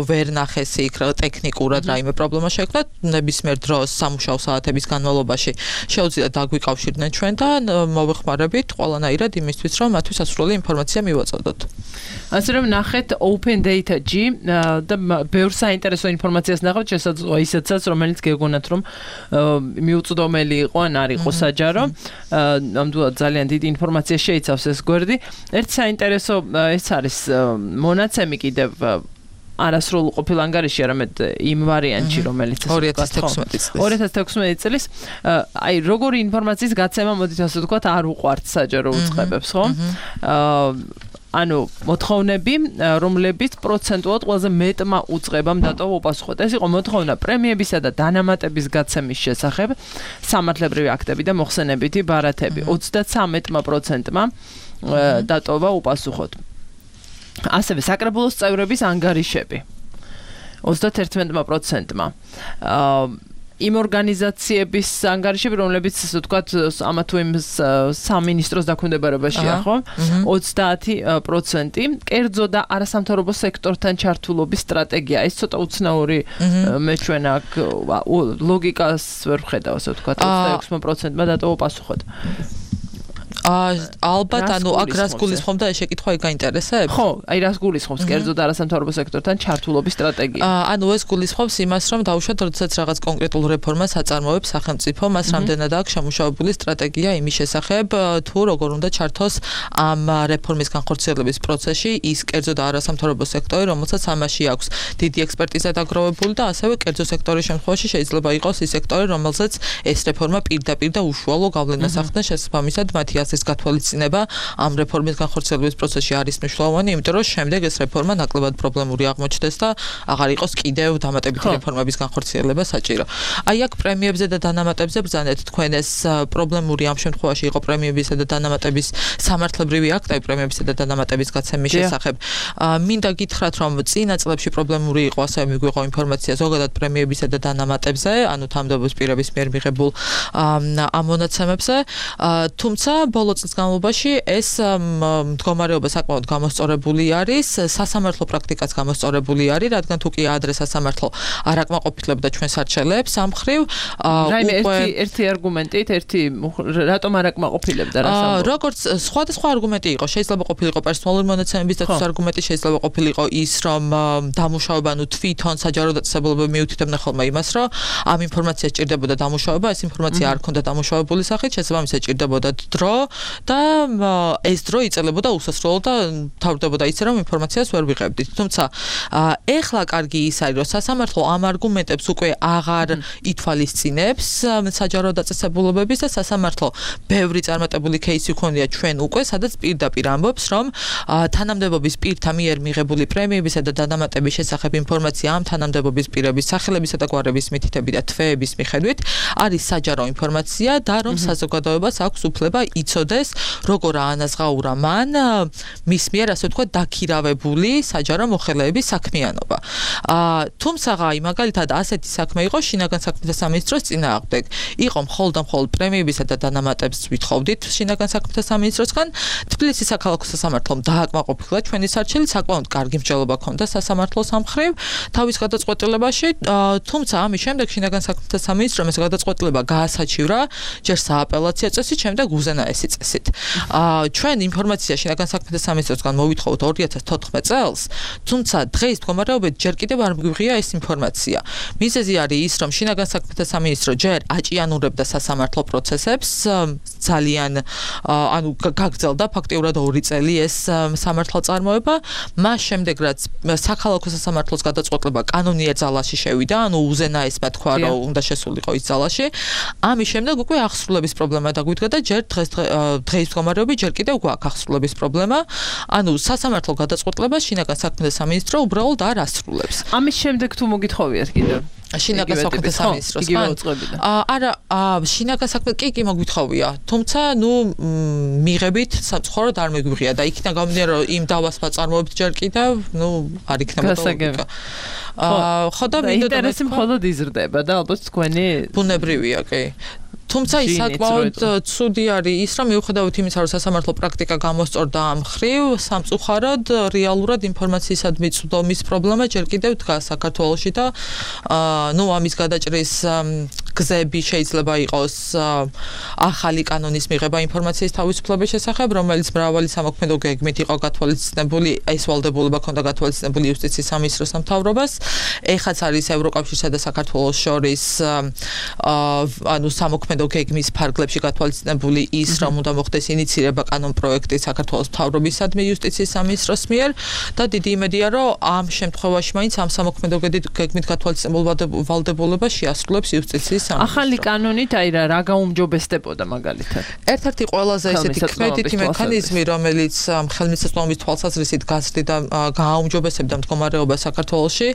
ვერ ნახეს იქ ტექნიკურად რაიმე პრობლემა შეექმნა, ნებისმიერ დროს სამუშაო საათების განმავლობაში შეუძლიათ დაგვიკავშირდნენ ჩვენ და მოვეხმარებით ყველანაირად იმისთვის რომ მათთვის სასურველი ინფორმაცია მივაწოდოთ.
ასე რომ ნახეთ opendata.gr და ბევრ საინტერესო ინფორმაციას ნახავთ, შესაძლოა ისეთსაც, რომელიც გეგონათ რომ მიუწვდომელი იყო ან არ იყო საჯარო. ნამდვილად ძალიან დიდი ინფორმაცია შეიცავს ეს გვერდი. ერთ საინტერესო ეს არის მონაცემი კიდევ არასრულ ყოფილ ანგარიში, არამედ იმ ვარიანტში, რომელიც 2016 წლის. აი, როგორი ინფორმაციის გაცემა, მოდით ასე ვთქვათ, არ უყვართ საჯარო უწყებებს, ხო? ანუ მოთხოვნები, რომლებიც პროცენტულად ყველაზე მეტმა უწყებამ დატოვა უპასუხოთ. ეს იყო მოთხოვნა პრემიებისა და დანამატების გაცემის შესახებ, სამართლებრივი აქტები და მოხსენებითი ბარათები. 33%-მა დატოვა უპასუხოთ. ასევე საკრებულოს წევრების ანგარიშები 31%-მა. იმ ორგანიზაციების ანგარიშები, რომლებიც ასე ვთქვათ, ამა თუ იმ სამინისტროს დაქვემდებარებაშია, ხო? 30%. კერძო და არასამთავრობო სექტორთან ჩართულობის სტრატეგია. ეს ცოტა უცნაური მე ჩვენ აქ ლოგიკას ვერ ვხედავ, ასე ვთქვათ, 26%-მა დატოვა პასუხოთ.
ალბათ ანუ აქ რას გულისხმობ და ეს შეკითხვა გაინტერესებს?
ხო, აი რას გულისხმობს კერძო და არასამთავრობო სექტორთან ჩართულობის სტრატეგია?
ანუ ეს გულისხმობს იმას, რომ დაუშვათ, როდესაც რაღაც კონკრეტულ რეფორმას აწარმოებს სახელმწიფო, მას რამდენად აქვს შემუშავებული სტრატეგია იმის შესახებ, თუ როგორ უნდა ჩართოს ამ რეფორმის განხორციელების პროცესში ის კერძო და არასამთავრობო სექტორი, რომელსაც ამაში აქვს დიდი ექსპერტიზა დაგროვებული და ასევე კერძო სექტორის შემთხვევაში შეიძლება იყოს ის სექტორი, რომელზეც ეს რეფორმა პირდაპირ და უშუალო გავლენას ახდენს, შესაბამისად მათი ეს გათვალისწინება ამ რეფორმის განხორციელების პროცესში არის მნიშვნელოვანი, იმიტომ რომ შემდეგ ეს რეფორმა ნაკლებად პრობლემური აღმოჩნდეს და აღარ იყოს კიდევ დამატებითი რეფორმების განხორციელება საჭირო. აი აქ პრემიებზე და დანამატებზე ბრძანეთ თქვენ ეს პრობლემური ამ შემთხვევაში იყო პრემიებისა და დანამატების სამართლებრივი აქტები პრემიებისა და დანამატების გაცემის შესახებ. მინდა გითხრათ, რომ წინა წლებში პრობლემური იყო, ასევე მიგვიღო ინფორმაცია ზოგადად პრემიებისა და დანამატებზე, ანუ თანამდებობის პირების მიერ მიღებულ ამონაცემებზე, თუმცა ბოლო წლის განმავლობაში ეს მდგომარეობა საკმაოდ გამოსწორებული არის, სასამართლო პრაქტიკაც გამოსწორებული არის, რადგან თუ კი ადრე სასამართლო არ აკმაყოფილებდა ჩვენს არჩევლებს ამ მხრივ,
ერთი არგუმენტით, რატომ არ აკმაყოფილებდა რას?
როგორც სხვადასხვა არგუმენტი იყო, შეიძლება ყოფილიყო პერსონალური მონაცემების დაცვის არგუმენტი, შეიძლება ყოფილიყო ის, რომ დამუშავება, ანუ თვითონ საჯარო დაწესებულებები მიუთითებდნენ ხოლმე იმას, რომ ამ ინფორმაციას ჭირდებოდა დამუშავება, ეს ინფორმაცია არ ქონდა დამუშავებული სახით, შესაბამისად ჭირდებოდა დრო და ეს დრო იწელებოდა უსასრულო და თავდებოდა ისე რომ ინფორმაციას ვერ ვიღებდით. თუმცა ეხლა კარგი ის არის, რომ სასამართლო ამ არგუმენტებს უკვე აღარ ითვალისწინებს საჯარო დაწესებულებების და სასამართლო ბევრი წარმატებული кейსი ქონია ჩვენ უკვე, სადაც პირდაპირ ამბობს, რომ თანამდებობის პირთა მიერ მიღებული პრემიებისა და დანამატების შესახებ ინფორმაცია ამ თანამდებობის პირების სახელებისა და გვარების მითითებით და თვეების მიხედვით არის საჯარო ინფორმაცია და რომ საზოგადოებას აქვს უფლება იცოდეს იცოდეს, როგორ აანაზღაურა მან მის მიერ ასე ვთქვათ დაქირავებული საჯარო მოხელეების საქმიანობა. თუმცა აი მაგალითად ასეთი საქმე იყო შინაგან საქმეთა სამინისტროს წინააღმდეგ. იყო მხოლოდ პრემიებისა და დანამატებს ვითხოვდით შინაგან საქმეთა სამინისტროსგან. თბილისის საქალაქო სასამართლომ დააკმაყოფილა ჩვენი სარჩელი, საკმაოდ კარგი მსჯელობა ჰქონდა სასამართლოს ამ მხრივ თავის გადაწყვეტილებაში, თუმცა ამის შემდეგ შინაგან საქმეთა სამინისტრომ ეს გადაწყვეტილება გაასაჩივრა ჯერ სააპელაციო წესით, შემდეგ უზენაესი წესით. ჩვენ ინფორმაცია შინაგან საქმეთა სამინისტროსგან მოვითხოვთ 2014 წელს, თუმცა დღეს მდგომარეობით ჯერ კიდევ არ მგვიღია ეს ინფორმაცია. მიზეზი არის ის, რომ შინაგან საქმეთა სამინისტრო ჯერ აჭიანურებდა სასამართლო პროცესებს, ძალიან გაგრძელდა ფაქტიურად 2 წელი ეს სამართალწარმოება, მას შემდეგ რაც საქალაქო სასამართლოს გადაწყვეტილება კანონიერ ძალაში შევიდა, ანუ უზენაესმა თქვა, რომ უნდა შესულიყო ის ძალაში, ამის შემდეგ უკვე აღსრულების პრობლემა დაგვიდგა და ჯერ დღეს მდგომარეობით ჯერ კიდევ გვაქვს აღსრულების პრობლემა, ანუ სასამართლო გადაწყვეტილებას შინაგან საქმეთა სამინისტრო უბრალოდ არ ასრულებს.
ამის შემდეგ თუ მოგითხოვიათ კიდევ
შინაგან საქმეთა სამინისტროს არა შინაგან საქმეთა კი მოგვითხოვია, თუმცა მიღებით სამწუხაროდ არ მეგვიღია და იქნა გამომდინარე რომ იმ დავასმა წარმოებთ ჯერ კიდევ არ იქნებოდა ლოგიკა. ხო და
ინტერესი მხოლოდ იზრდება და ალბათ თქვენი
ბუნებრივია კი. თუმცა ის საკმაოდ ცუდი არის ის, რომ მიუხედავად იმისა, რომ სასამართლო პრაქტიკა გამოსწორდა ამ მხრივ, სამწუხაროდ რეალურად ინფორმაციისადმი წვდომის პრობლემა ჯერ კიდევ დგას საქართველოში და ამის გადაჭრის გზები შეიძლება იყოს ახალი კანონის მიღება ინფორმაციის თავისუფლების შესახებ, რომელიც მრავალი სამოქმედო გეგმით იყო გათვალისწინებული, ეს ვალდებულება ჰქონდა გათვალისწინებული იუსტიციის სამინისტროს მთავრობას. ეხაც არის ევროკავშირსა და საქართველოს შორის სამოქმედო გეგმის ფარგლებში გათვალისწინებული ის, რომ უნდა მოხდეს ინიცირება კანონპროექტი საქართველოს მთავრობისადმი იუსტიციის სამინისტროს მიერ და დიდი იმედია, რომ ამ შემთხვევაში მაინც ამ სამოქმედო გეგმით გათვალისწინებულ ვალდებულებას შეასრულებს იუსტიციის
ახალი კანონით აი რა გაუმჯობესდებოდა მაგალითად.
ერთ-ერთი ყველაზე ესეთი კმედითი მექანიზმი, რომელიც ხელმისაწვდომობის თვალსაზრისით გაზრდიდა გააუმჯობესებდა მდგომარეობას საქართველოში,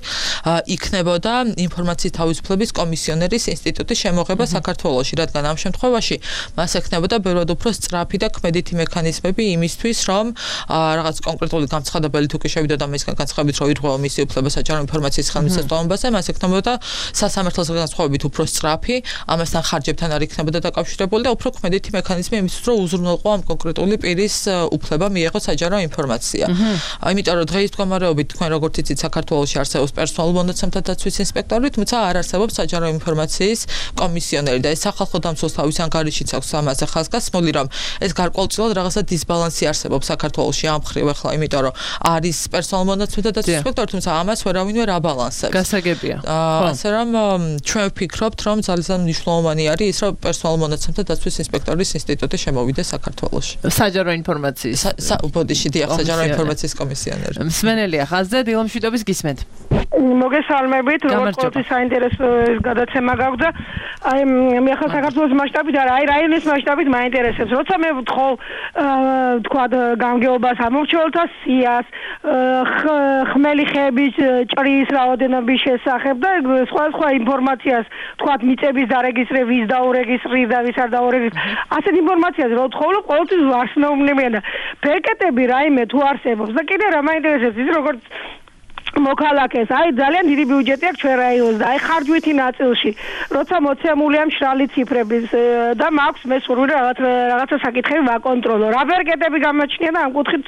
იქნებოდა ინფორმაციის თავისუფლების კომისიონერის ინსტიტუტის შემოღება საქართველოში, რადგან ამ შემთხვევაში მას ექნებოდა ბევრად უფრო სწრაფი და კმედითი მექანიზმები იმისთვის, რომ რაღაც კონკრეტული გამცხადებელი თუ კი შევიდოდა მისგან განცხადებით, რომ ირღვევა მისი უფლება საჯარო ინფორმაციის ხელმისაწვდომობაზე, მას ექნებოდა სასამართლოს განსხვავებით უფრო სწრაფი, ამასთან ხარჯებთან არ იქნებოდა დაკავშირებული და უფრო კმედითი მექანიზმი იმისთვის, რომ უზრუნველყო ამ კონკრეტული პირის უფლება მიეღო საჯარო ინფორმაცია. იმიტომ რომ დღეის მდგომარეობით თქვენ როგორც იცით, საქართველოში არსებობს პერსონალურ მონაცემთა დაცვის ინსპექტორი, თუმცა არ არსებობს საჯარო ინფორმაციის კომისიონერი და ეს სახალხო დამცველს თავის ანგარიშიც აქვს ამაზე ხაზგასმული, რომ ეს გარკვეულწილად რაღაცა დისბალანსი არსებობს საქართველოში ამ მხრივ ახლა, იმიტომ რომ არის პერსონალურ მონაცემთა დაცვის ინსპექტორი, თუმცა ამას ვერავინ ვერ აბალანსებს.
გასაგებია.
ასე რომ ჩვენ ვფიქრობთ, რომ ძალიან მნიშვნელოვანი არის ის, რომ პერსონალურ მონაცემთა დაცვის ინსპექტორის ინსტიტუტი შემოვიდეს საქართველოში.
საჯარო ინფორმაციის
ბოდიში დიახ, საჯარო ინფორმაციის კომისიონერი.
მსმენელია ხაზზე, დილომშვიდობის გისმენთ.
მოგესალმებით, როგორც ყოველთვის საინტერესო გადაცემა გაქვს და აი მე ახლა საქართველოს მასშტაბით არა, აი რაიონის მასშტაბით მაინტერესებს. როცა მე ვთხოვ თქვა გამგეობას ამორჩეულთა სიას, ხმელი ხეების ჭრის რაოდენობის შესახებ და სხვა ინფორმაციას, თქვა მიწების დარეგისტრების, დაურეგისტრირდა, ვის არ დაურეგისტრირდა. ასეთ ინფორმაციას რო ვთხოვ, ყოველთვის არ სნობნებიან და ბეკეტები რაიმე თუ არსებობს და კიდე რა მაინტერესებს ის როგორც მოქალაქეს, აი ძალიან დიდი ბიუჯეტი აქვს ჩვენ რაიონს და აი ხარჯვითი ნაწილში, როცა მოცემულია მშრალი ციფრების და მაქვს მე სურვილი რაღაცა საკითხები ვაკონტროლო. რა ბერკეტები გამოჩნია და ამ კუთხით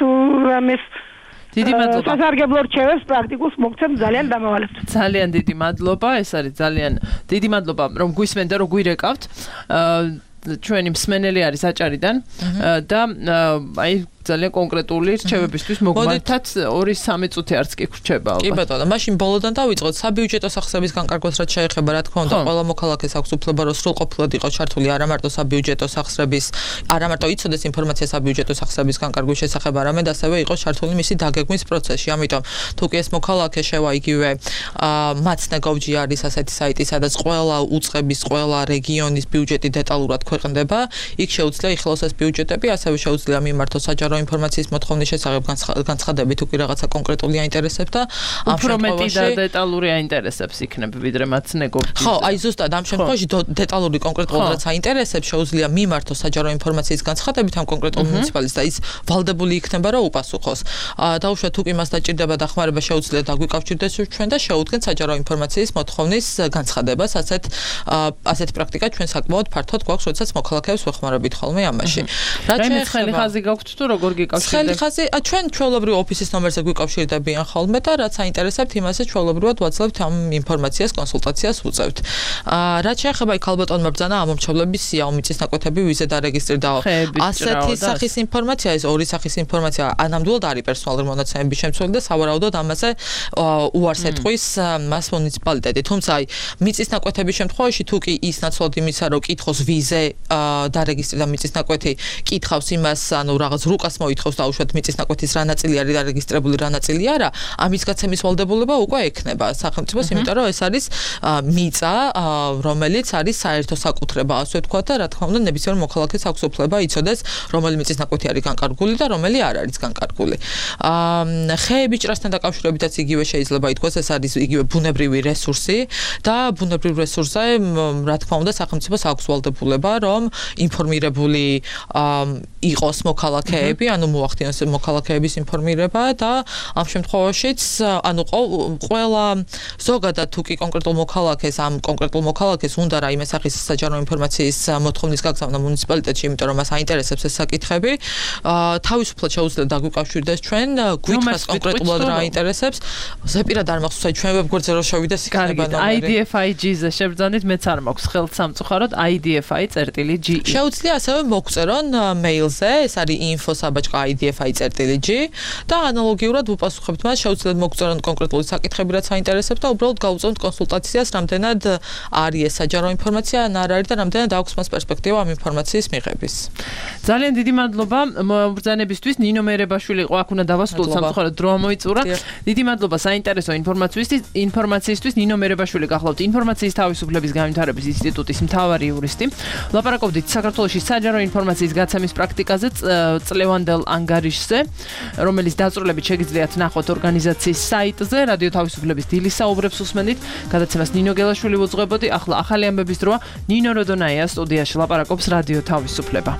მეს
დიდი მადლობა.
სასარგებლო რჩევებს პრაქტიკულს მოგცემ, ძალიან დამავალებთ.
ძალიან დიდი მადლობა, ეს არის ძალიან დიდი მადლობა, რომ გვისმენთ და რომ გვირეკავთ. ჩვენი მსმენელი არის აჭარიდან და აი ძალიან კონკრეტული რჩევებისთვის მოგმართათ 2-3 წუთი არც კი ხრჩება ალბათ.
კი ბატონო, მაშინ ბოლოდან დავიწყოთ საბიუჯეტო სახსრების განკარგვას რაც შეეხება, რა თქმა უნდა, ყველა მოქალაქეს აქვს უფლება, რომ სრულყოფილად იყოს ჩართული არა მარტო საბიუჯეტო სახსრების, არა მარტო იცოდეს ინფორმაცია საბიუჯეტო სახსრების განკარგვის შესახებ, არამედ ასევე იყოს ჩართული მისი დაგეგმვის პროცესში. ამიტომ თუ კი ეს მოქალაქე შევა იგივე Matsnegov.gr არის ასეთი საიტი, სადაც ყველა უწყების, ყველა რეგიონის ბიუჯეტი დეტალურად ქვეყნდება, იქ შეუძლია იხილოს ეს ბიუჯეტები, ასევე შეუძლია მიმართოს საჯარო ინფორმაციის მოთხოვნის შესახებ განცხადებით უკვე რაღაცა კონკრეტული აინტერესებს და ამ
უფრო მეტი და
შემთხვევაში
დეტალური აინტერესებს იქნება ვიდრე მათ ნეგოციაციაზე.
ხო, აი ზუსტად ამ შემთხვევაში დეტალური კონკრეტულად რაც აინტერესებს შეუძლია მიმართოს საჯარო ინფორმაციის განცხადებით ამ კონკრეტულ მუნიციპალიტეტს და ის ვალდებული იქნება რომ უპასუხოს. დაუშვათ თუ კი მას დაჭირდება დახმარება შეუძლია დაგვიკავშირდეს ჩვენ და შეუდგენთ საჯარო ინფორმაციის მოთხოვნის განცხადებას. ასეთი პრაქტიკა ჩვენ საკმაოდ ფართოდ გვაქვს, როდესაც მოქალაქეებს ვეხმარებით ხოლმე ამაში.
რაიმე ცხელი ხაზი გაქვთ თუ როგორ გიკავშირდებით?
ცხელი ხაზი, ჩვენ ჩვეულებრივ ოფისის ნომერზე გვიკავშირდებიან ხოლმე და რაც აინტერესებთ, იმასაც ჩვეულებრივად ვაძლევთ ამ ინფორმაციას, კონსულტაციას უწევთ. რაც შეეხება იქ ალბათონმა ბრძანა ამომრჩევლების სიაო მიწის ნაკვეთები ვიზე დარეგისტრირდა. ასეთი სახის ინფორმაცია, ეს ორი სახის ინფორმაცია, ანამდვილად არის პერსონალური მონაცემების შემცველი და სავარაუდოდ ამაზე უარს ეტყვის მას მუნიციპალიტეტი. თუმცა აი მიწის ნაკვეთების შემთხვევაში თუ კი ის ნაცვლად იმისა, რომ კითხოს ვიზე დარეგისტრირდა მიწის ნაკვეთი, კითხავს იმას, ანუ რაღაც რუკას მოითხოვს დაუშვათ მიწის ნაკვეთის რა ნაწილი არის დარეგისტრირებული, რა ნაწილი არა, ამის გაცემის ვალდებულება უკვე ექნება სახელმწიფოს, იმიტომ რომ ეს არის მიწა, რომელიც არის საერთო საკუთრება, ასე ვთქვათ და რა თქმა უნდა ნებისმიერ მოქალაქეს აქვს უფლება იცოდეს, რომელი მიწის ნაკვეთი არის განკარგული და რომელი არ არის განკარგული. ხეების ჭრასთან დაკავშირებითაც იგივე შეიძლება ითქვას, ეს არის იგივე ბუნებრივი რესურსი და ბუნებრივ რესურსზე რა თქმა უნდა სახელმწიფოს აქვს ვალდებულება, რომ ინფორმირებული იყოს მოქალაქეები, ანუ მოახდინოს მოქალაქეების ინფორმირება და ამ შემთხვევაშიც ანუ ყველა ზოგადად თუ კი კონკრეტულ მოქალაქეს ამ კონკრეტულ მოქალაქეს უნდა რაიმე სახის საჯარო ინფორმაციის მოთხოვნის გაგზავნა მუნიციპალიტეტში, იმიტომ რომ მას აინტერესებს ეს საკითხები, თავისუფლად შეუძლია დაგვიკავშირდეს ჩვენ, გვითხრას კონკრეტულად რა აინტერესებს. ზეპირად არ მახსოვს, აი ჩვენ ვებგვერდზე რო შევიდეს იქნება ნომერი.
IDFIG-ზე შევძანით, მეც არ მაქვს ხელთ სამწუხაროდ IDFI.ge.
შეუძლია ასევე მოგწერონ მეილზე, ეს არის info@idfi.ge და ანალოგიურად ვუპასუხებთ მას, შეუძლიათ მოგწერონ კონკრეტული საკითხები, რაც აინტერესებს და უბრალოდ გავუწევთ კონსულტაციას, რამდენად არის ეს საჯარო ინფორმაცია, ან არ არის და რამდენად აქვს მას პერსპექტივა ამ ინფორმაციის მიღების.
ძალიან დიდი მადლობა მობრძანებისთვის. ნინო მერებაშვილი იყო აქ უნდა დავასრულოთ სამწუხაროდ დრო მოიწურა. დიდი მადლობა საინტერესო ინფორმაციისთვის. ნინო მერებაშვილი გახლავთ ინფორმაციის თავისუფლების განვითარების ინსტიტუტის მთავარი იურისტი. ლაპარაკობდით საქართველოში საჯარო ინფორმაციის გაცემის პრაქტიკაზე წლევანდელ ანგარიშზე, რომელიც დაწვრილებით შეგიძლიათ ნახოთ ორგანიზაციის საიტზე. რადიო თავისუფლების დილის საუბრებს უსმენთ. გადაცემას ნინო გელაშვილი უძღვებოდი. ახლა ახალი ამბების დროა. ნინო როდონაია სტუდიაში ლაპარაკობს რადიო თავისუფლება.